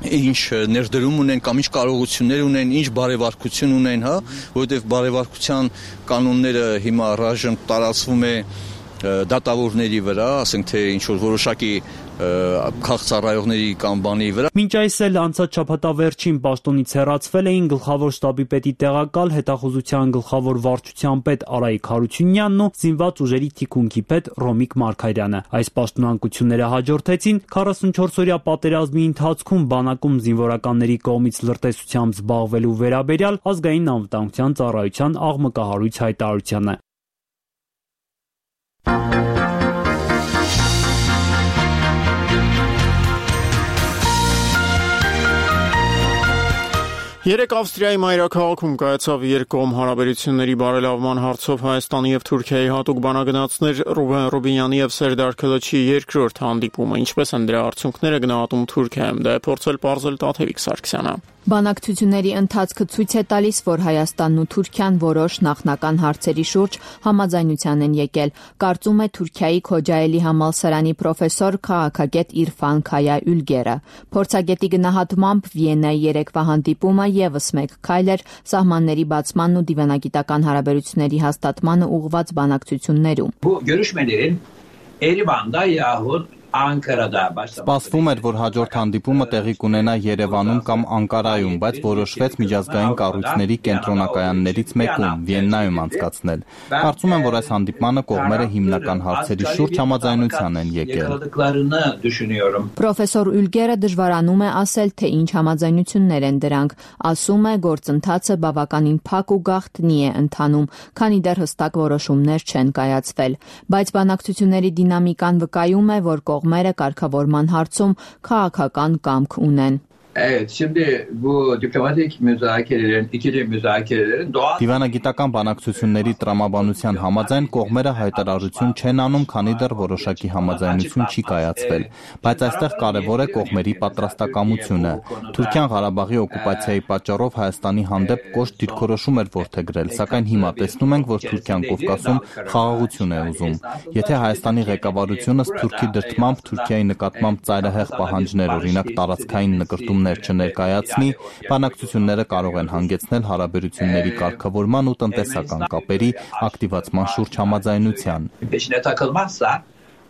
ինչ ներդրում ունեն կամ ինչ կարողություններ ունեն, ինչ բարեվարքություն ունեն, հա, որովհետև բարեվարքության կանոնները հիմա առայժմ տարածվում է դատավորների վրա, ասենք թե ինչ որ որոշակի քաղցառայողների կամ բանի վրա։ Մինչ այս էլ անցած շաբաթավերջին պաշտոնից հեռացվել էին գլխավոր շտաբի պետի տեղակալ, հետախուզության գլխավոր վարչության պետ Արայիկ Հարությունյանն ու զինված ուժերի թիկունքի պետ Ռոմիկ Մարգարյանը։ Այս պաշտոնանկությունները հաջորդեցին քառասունչորս-օրյա պատերազմի ընթացքում բանակում զինվորականների կողմից լրտեսությամբ զբաղվելու վերաբերյալ ազգային անվտանգության ծառայության աղմկահարույց հայտարարությանը։ Երեք Ավստրիայի մայրաքաղաքում կայացավ երկկողմ հարաբերությունների բարելավման հարցով Հայաստանի եւ Թուրքիայի հատուկ բանագնացներ Ռուբեն Ռուբինյանի եւ Սերդար Քլոչի երկրորդ հանդիպումը, ինչպես են դրա արդյունքները գնահատում Թուրքիայում, դա է փորձել պարզել Տաթևիկ Սարգսյանը։ Բանակցությունների ընթացքը ցույց է տալիս, որ Հայաստանն ու Թուրքիան որոշ նախնական հարցերի շուրջ համաձայնության են եկել, կարծում է Թուրքիայի Քոջայելի համալսարանի պրոֆեսոր քաղաքագետ Իրֆան Քայա Ülgerը։ Փորձագետի գնահատմամբ Վիեննայի երեկվա հանդիպումը եւս մեկ քայլ էր սահմանների բացմանն ու դիվանագիտական հարաբերությունների հաստատմանը ուղղված բանակցություններում։ Bu görüşmelerin Erivan'da yahut Սպասվում էր, որ հաջորդ հանդիպումը տեղի կունենա Երևանում կամ Անկարայում, բայց որոշվեց միջազգային կառույցների կենտրոնակայաններից մեկում՝ Վիեննայում անցկացնել։ Կարծում եմ, որ այս հանդիպմանը կողմերը հիմնական հարցերի շուրջ համաձայնության են եկել։ Պրոֆեսոր Ülgerը դժվարանում է ասել, թե ինչ համաձայնություններ են դրանք։ Ասում է, գործընթացը բավականին փակ ու գաղտնի է ընթանում, քանի դեռ հստակ որոշումներ չեն կայացվել, բայց բանակցությունների դինամիկան վկայում է, որ կողմերը կարգավորման հարցում քաղաքական կամք ունեն։ Evet, şimdi bu diplomatik müzakerelerin, ikili müzakerelerin doğal... Դիվանագիտական բանակցությունների տրամաբանության համաձայն կողմերը հայտարարություն չեն անում, քանի դեռ որոշակի համաձայնություն չի կայացվել, բայց այստեղ կարևոր է կողմերի պատրաստակամությունը։ Թուրքիան Ղարաբաղի օկուպացիայի պատճառով Հայաստանի հանդեպ կոշտ դիրքորոշում էր որդեգրել, սակայն հիմա տեսնում ենք, որ Թուրքիան Կովկասում խաղաղություն է ուզում։ Եթե Հայաստանի ղեկավարությունը Թուրքի դրդմամբ Թուրքիայի նկատմամբ ծայրահեղ պահանջներ, օրինակ տարածքային նկրտում չներկայացնի, բանակցությունները կարող են հանգեցնել հարաբերությունների կարգավորման ու տնտեսական կապերի ակտիվացման շուրջ համաձայնության։ Peşine takılmazsa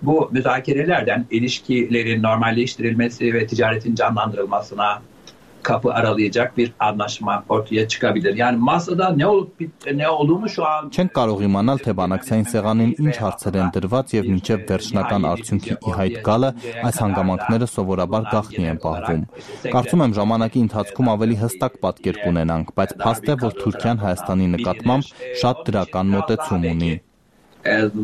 bu müzakerelerden ilişkilerin normalleştirilmesi ve ticaretin canlandırılmasına kapı aralayacak bir anlaşma ortaya çıkabilir. Yani masada ne olup ne olduğunu şu an Չենք կարող իմանալ, թե բանակցային սեղանին ինչ հարցեր են դրված եւ մինչեւ վերջնական արդյունքի ի հայտ գալը այս հանգամանքները սովորաբար գաղտնի են պահվում։ Կարծում եմ ժամանակի ընթացքում ավելի հստակ պատկեր կունենանք, բայց փաստ է, որ Թուրքիան Հայաստանի նկատմամբ շատ դրական մոտեցում ունի։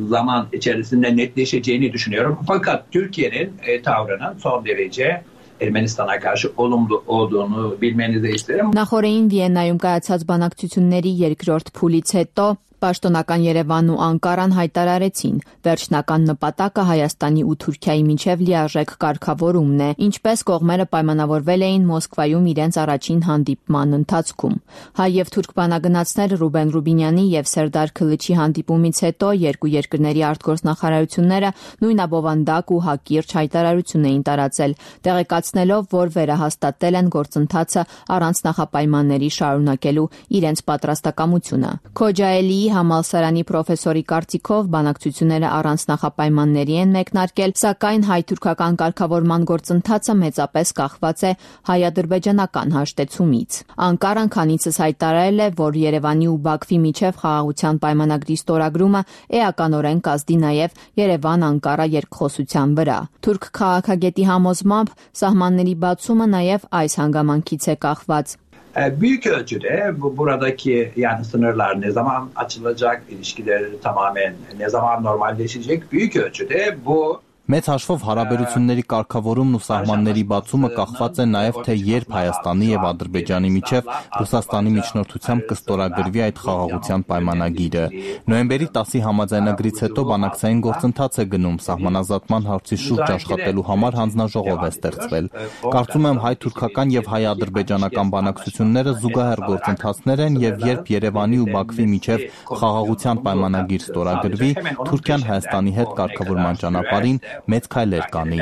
Zaman içerisinde netleşeceğini düşünüyorum. Fakat Türkiye'nin e, tavrının son derece Ermənistan'a karşı olumlu olduğunu bilmenizi isterim. Նախորդին Վիեննայում կայացած բանակցությունների երկրորդ փուլից հետո Պաշտոնական Երևանն ու Անկարան հայտարարեցին, վերջնական նպատակը Հայաստանի ու Թուրքիայի միջև լիարժեք կարգավորումն է, ինչպես կողմերը պայմանավորվել էին Մոսկվայում իրենց առաջին հանդիպման ընթացքում։ Հայ եւ թուրք բանագնացներ Ռուբեն Ռուբինյանի եւ Սերդար Քլիչի հանդիպումից հետո երկու երկրների արտգործնախարարությունները նույն աբովանդակ ու հակիրճ հայտարարություն էին տարածել, տեղեկացնելով, որ վերահաստատել են գործընթացը առանց նախապայմանների շարունակելու իրենց պատրաստակամությունը։ Քոջայելի համալսարանի պրոֆեսորի կարծիքով բանակցությունները առանց նախապայմանների են մեկնարկել, սակայն հայ-թուրքական կարգավորման գործընթացը մեծապես կախված է հայ-ադրբեջանական հաշտեցումից։ Անկարան քանիցս հայտարարել է, որ Երևանի ու Բաքվի միջև խաղաղության պայմանագրի ստորագրումը էականորեն կազդի նաև Երևան-Անկարա երկխոսության վրա։ Թուրք քաղաքագետի համոզմամբ սահմանների բացումը նաև այս հանգամանքից է կախված։ Büyük ölçüde bu, buradaki yani sınırlar ne zaman açılacak, ilişkiler tamamen ne zaman normalleşecek büyük ölçüde bu Մեծ հաշվով հարաբերությունների կարգավորումն ու սահմանների բացումը կախված է նաև թե երբ Հայաստանի եւ Ադրբեջանի միջև Ռուսաստանի միջնորդությամբ կստորագրվի այդ խաղաղության պայմանագիրը։ Նոյեմբերի տասի համաձայնագրից հետո բանակցային գործընթաց է գնում, սահմանազատման հարցի շուրջ աշխատելու համար հանձնաժողով է ստեղծվել։ Կարծում եմ հայ-թուրքական եւ հայ-ադրբեջանական բանակցությունները զուգահեռ գործընթացներ են եւ երբ Երևանի ու Բաքվի միջև խաղաղության պայմանագիր ստորագրվի, Թուրքիան Հայաստանի հետ կարգավորման ճանապարհին մեծ քայլեր կանի։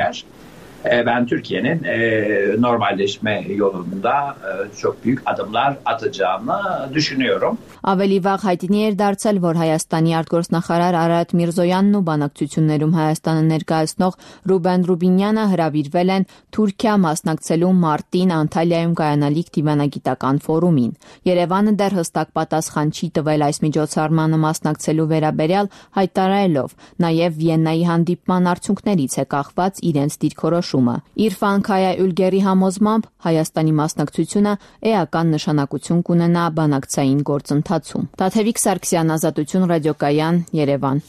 Ben Türkiye'nin e, normalleşme yolunda e, çok büyük adımlar atacağını düşünüyorum. Ավելի վաղ հայտնի էր դարձել, որ Հայաստանի արտգործնախարար Արարատ Միրզոյանն ու բանակցություններում Հայաստանը ներկայացնող Ռուբեն Ռուբինյանը հրավիրվել են Թուրքիա մասնակցելու մարտին Անտալիայում կայանալիք դիվանագիտական ֆորումին։ Երևանը դեռ հստակ պատասխան չի տվել այս միջոցառմանը մասնակցելու վերաբերյալ, հայտարարելով, նաև Վիեննայի հանդիպման արդյունքներից է կախված իրենց դիրքորոշումը։ Իրֆան Քայա Յուլգերի համոզմամբ Հայաստանի մասնակցությունը էական նշանակություն կունենա բանակցային գործընթացում։ Տաթևիկ Սարգսյան, Ազատություն ռադիոկայան, Երևան։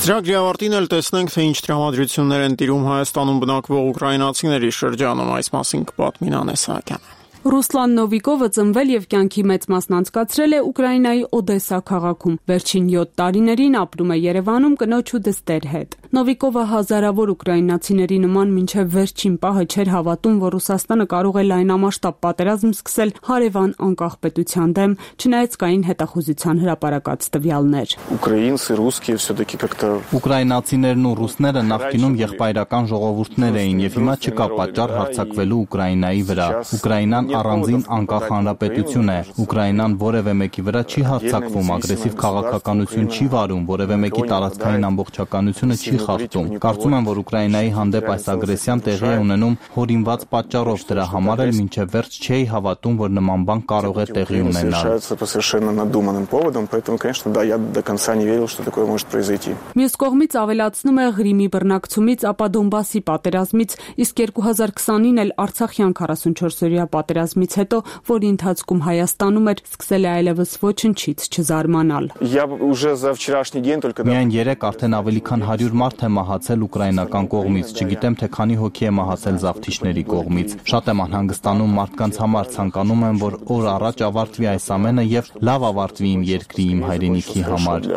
Ծրագրի ավարտին էլ տեսնենք, թե ինչ տրամադրություններ են տիրում Հայաստանում բնակվող ուկրաինացիների շրջանում, այս մասին կպատմի Նանե Սահակյանը։ Ռուսլան Նովիկովը ծնվել եւ կյանքի մեծ մասն անցկացրել է Ուկրաինայի Օդեսա քաղաքում։ Վերջին յոթ տարիներին ապրում է Երևանում կնոջ ու դստեր հետ։ Նովիկովը հազարավոր ուկրաինացիների նման մինչև վերջին պահը չէր հավատում, որ Ռուսաստանը կարող է լայնամասշտաբ պատերազմ սկսել հարևան անկախ պետության դեմ, չնայած կային հետախուզության հրապարակած տվյալներ։ Ուկրաինցի, ռուսկի все-таки как-то ուկրաինացիներն ու ռուսները նախկինում եղբայրական ժողովուրդներ էին եւ հիմա չկա պատճառ հարձակվելու Ուկրաինայի վրա։ Ուկրաինան առանձին անկախ հանրապետություն է։ Ուկրաինան որևէ մեկի վրա չի հարձակվում, ագրեսիվ քաղաքականություն չի վարում, որևէ մեկի տարածքային ամբողջականությունը չի խախտում։ Կարծում եմ, որ Ուկրաինայի հանդեպ այս ագրեսիան տեղի է ունենում հորինված պատճառով, դրա համար էլ մինչև վերջ չէի հավատում, որ նման բան կարող է տեղի ունենալ։ Մյուս կողմից ավելացնում է Ղրիմի բռնակցումից, ապա Դոնբասի պատերազմից, իսկ երկու հազար քսանին էլ Արցախյան քառասունչորս-օրյա պատերազմից հետո, որի ընթացքում Հայաստանում էր, սկսել է այլևս ոչնչից չզարմանալ։ Միայն երեք արդեն ավելի քան հարյուր մարդ է մահացել ուկրաինական կողմից, չգիտեմ թե քանի հոգի է մահացել զավթիչների կողմից։ Շատ եմ անհանգստանում մարդկանց համար, ցանկանում եմ, որ օր առաջ ավարտվի այս ամենը եւ լավ ավարտվի իմ երկրի, իմ հայրենիքի համար։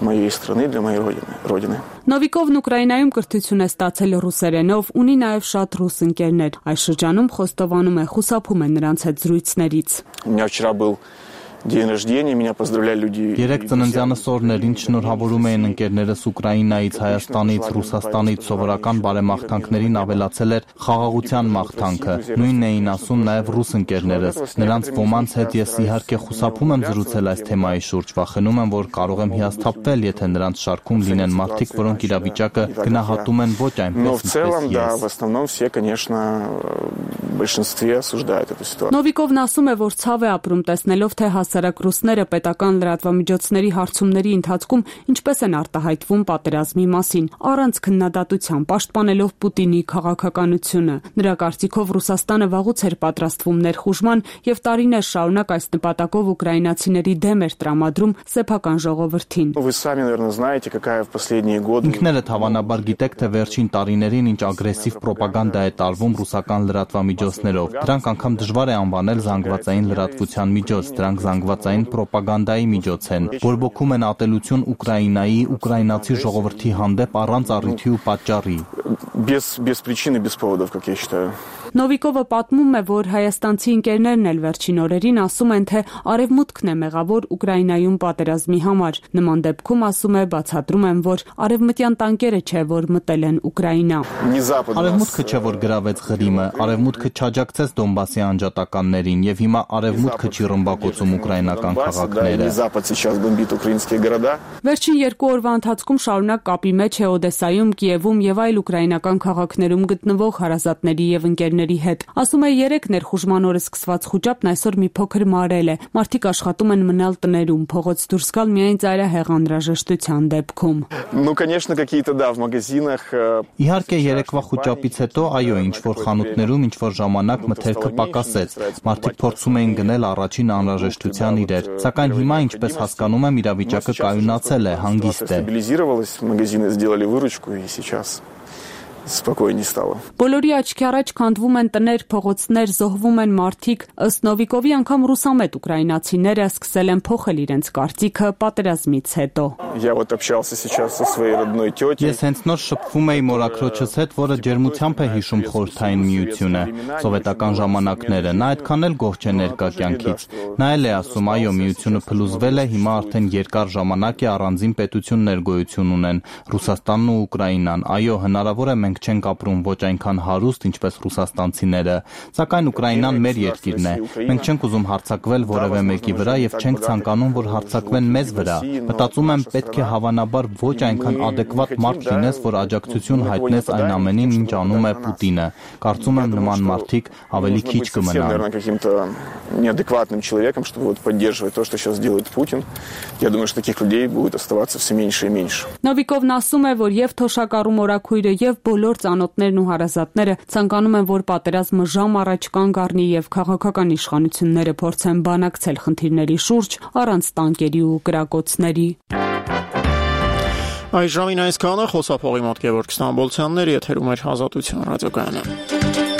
Моей страны, для моей родины։ Նովիկովն Ուկրաինայում կրթություն է ստացել ռուսերենով, ունի նաև շատ ռուս ընկերներ։ Այս շրջանում խոստովանում է, խուսափում է նրանց հետ զրույցներից։ У меня вчера был день рождения, меня поздравляли люди. Երեք ծննդյանս օրերին շնորհավորում էին ընկերներս Ուկրաինայից, Հայաստանից, Ռուսաստանից, սովորական բարեմաղթանքներին ավելացել էր խաղաղության մաղթանքը։ Նույնն էին ասում նաև ռուս ընկերներս։ Նրանց ոմանց հետ ես իհարկե խուսափում եմ զրուցել այս թեմայի շուրջ, վախենում եմ, որ կարող եմ հիասթափվել, եթե նրանց շարքում լինեն մարդիկ, որոնք իրավիճակը գնահատում են ոչ այնպես, ինչպես ես։ В основном все, конечно, в большинстве осуждают эту ситуацию. Նովիկովն ասում է, որ ցավ է ապրում տեսնելով, թե հասարակ ռուսները պետական լրատվամիջոցների հարցումների ընթացքում ինչպես են արտահայտվում պատերազմի մասին, առանց քննադատության, պաշտպանելով Պուտինի քաղաքականությունը։ Նրա կարծիքով Ռուսաստանը վաղուց էր պատրաստվում ներխուժման եւ տարիներ շարունակ այս նպատակով ուկրաինացիների դեմ էր տրամադրում սեփական ժողովրդին։ Вы сами, наверное, знаете, какая в последние годы. Ինքներդ հավանաբար գիտեք, թե վերջին տարիներին ինչ ագրեսիվ պրոպագանդա է տարվում ռուսական լրատվամիջոցներով։ Դրանք անգամ դժվար է անվանել զանգվածային լրատվության միջոց, դրանք զանգվածային պրոպագանդայի միջոց են, բորբոքում են ատելություն Ուկրաինայի, ուկրաինացի ժողովրդի հանդեպ առանց առիթի ու պատճառի։ Без без причины, без поводов, как я считаю. Նովիկովը պատմում է, որ հայաստանցի ընկերներն էլ վերջին օրերին ասում են, թե արևմուտքն է մեղավոր Ուկրաինայում պատերազմի համար։ Նման դեպքում ասում է, բացատրում են, որ արևմտյան տանկերը չէ, որ մտել են Ուկրաինա։ Արևմուտքը չէ, որ գրավեց Ղրիմը, արևմուտքը չաջակցեց Դոնբասի անջատականներին եւ հիմա արևմուտքը չի ռմբակոծում ուկրաինական քաղաքները։ Վերջին երկու օրվա ընթացքում շարունակ կապի մեջ է Օդեսայում, Կիևում եւ այլ ուկրաինական քաղաքներում գտնվող հարազատների եւ ընկերների հետ։ Ասում է, երեք ներխուժման օրը սկսված խուճապն այսօր մի փոքր մարել է։ Մարդիկ աշխատում են մնալ տներում, փողոց դուրս գալ միայն ծայրահեղ անհրաժեշտության դեպքում։ Ну, конечно, какие-то да, в магазинах. Իհարկե երեկվա խուճապից հետո, այո, ինչ որ խանութներում ինչ որ ժամանակ մթերքը պակասեց։ Մարդիկ փորձում էին գնել առաջին անհրաժեշտության իրեր, սակայն հիմա, ինչպես հասկանում եմ, իրավիճակը կայունացել է, հանգիստ է։ Стабилизировалось, магазины сделали выручку и сейчас спокойнее стало. Բոլորի աչքի առաջ քանդվում են տներ, փողոցներ, զոհվում են մարդիկ, ըստ Նովիկովի անգամ ռուսամետ ուկրաինացիները սկսել են փոխել իրենց կարծիքը պատերազմից հետո։ Я вот общался сейчас со своей родной тётей. Ես հենց նոր շփվում էի մորաքրոջս հետ, որը ջերմությամբ է հիշում խորհրդային միությունը, սովետական ժամանակները։ Նա այդքան էլ գոհ չէ ներկա կյանքից։ Նա էլ է ասում, այո, միությունը փլուզվել է, հիմա արդեն երկար ժամանակ է առանձին պետություններ գոյություն ունեն, Ռուսաստանն ու Ուկրաինան։ Այո, հնարավոր է մենք չենք ապրում ոչ այնքան հարուստ, ինչպես ռուսաստանցիները, սակայն Ուկրաինան մեր երկիրն է։ Մենք չենք ուզում հարձակվել որևէ մեկի վրա եւ չենք ցանկանում, որ հարձակվեն մեզ վրա։ Մտածում եմ, պետք է հավանաբար ոչ այնքան adekvat մարդ լինես, որ աջակցություն հայտնես այն ամենին, ինչ անում է Պուտինը։ Կարծում եմ նման մարդիկ ավելի քիչ կմնան։ Неадекватным человеком, чтобы вот поддерживать то, что сейчас делает Путин. Я думаю, что таких людей будет оставаться все меньше и меньше. Նովիկովն ասում է, որ եւ թոշակառու մորաքույրը եւ բոլոր ծանոթներն ու հարազատները ցանկանում են, որ պատերազմը ժամ առաջ կանգ առնի եւ քաղաքական իշխանությունները փորձեն բանակցել խնդիրների շուրջ առանց տանկերի ու կրակոցների։ Այս ժամին այսքանը խոսափողի մոտ Գևորգ Ստամբոլցյաններ եթերում էր Ազատության ռադիոկայանը։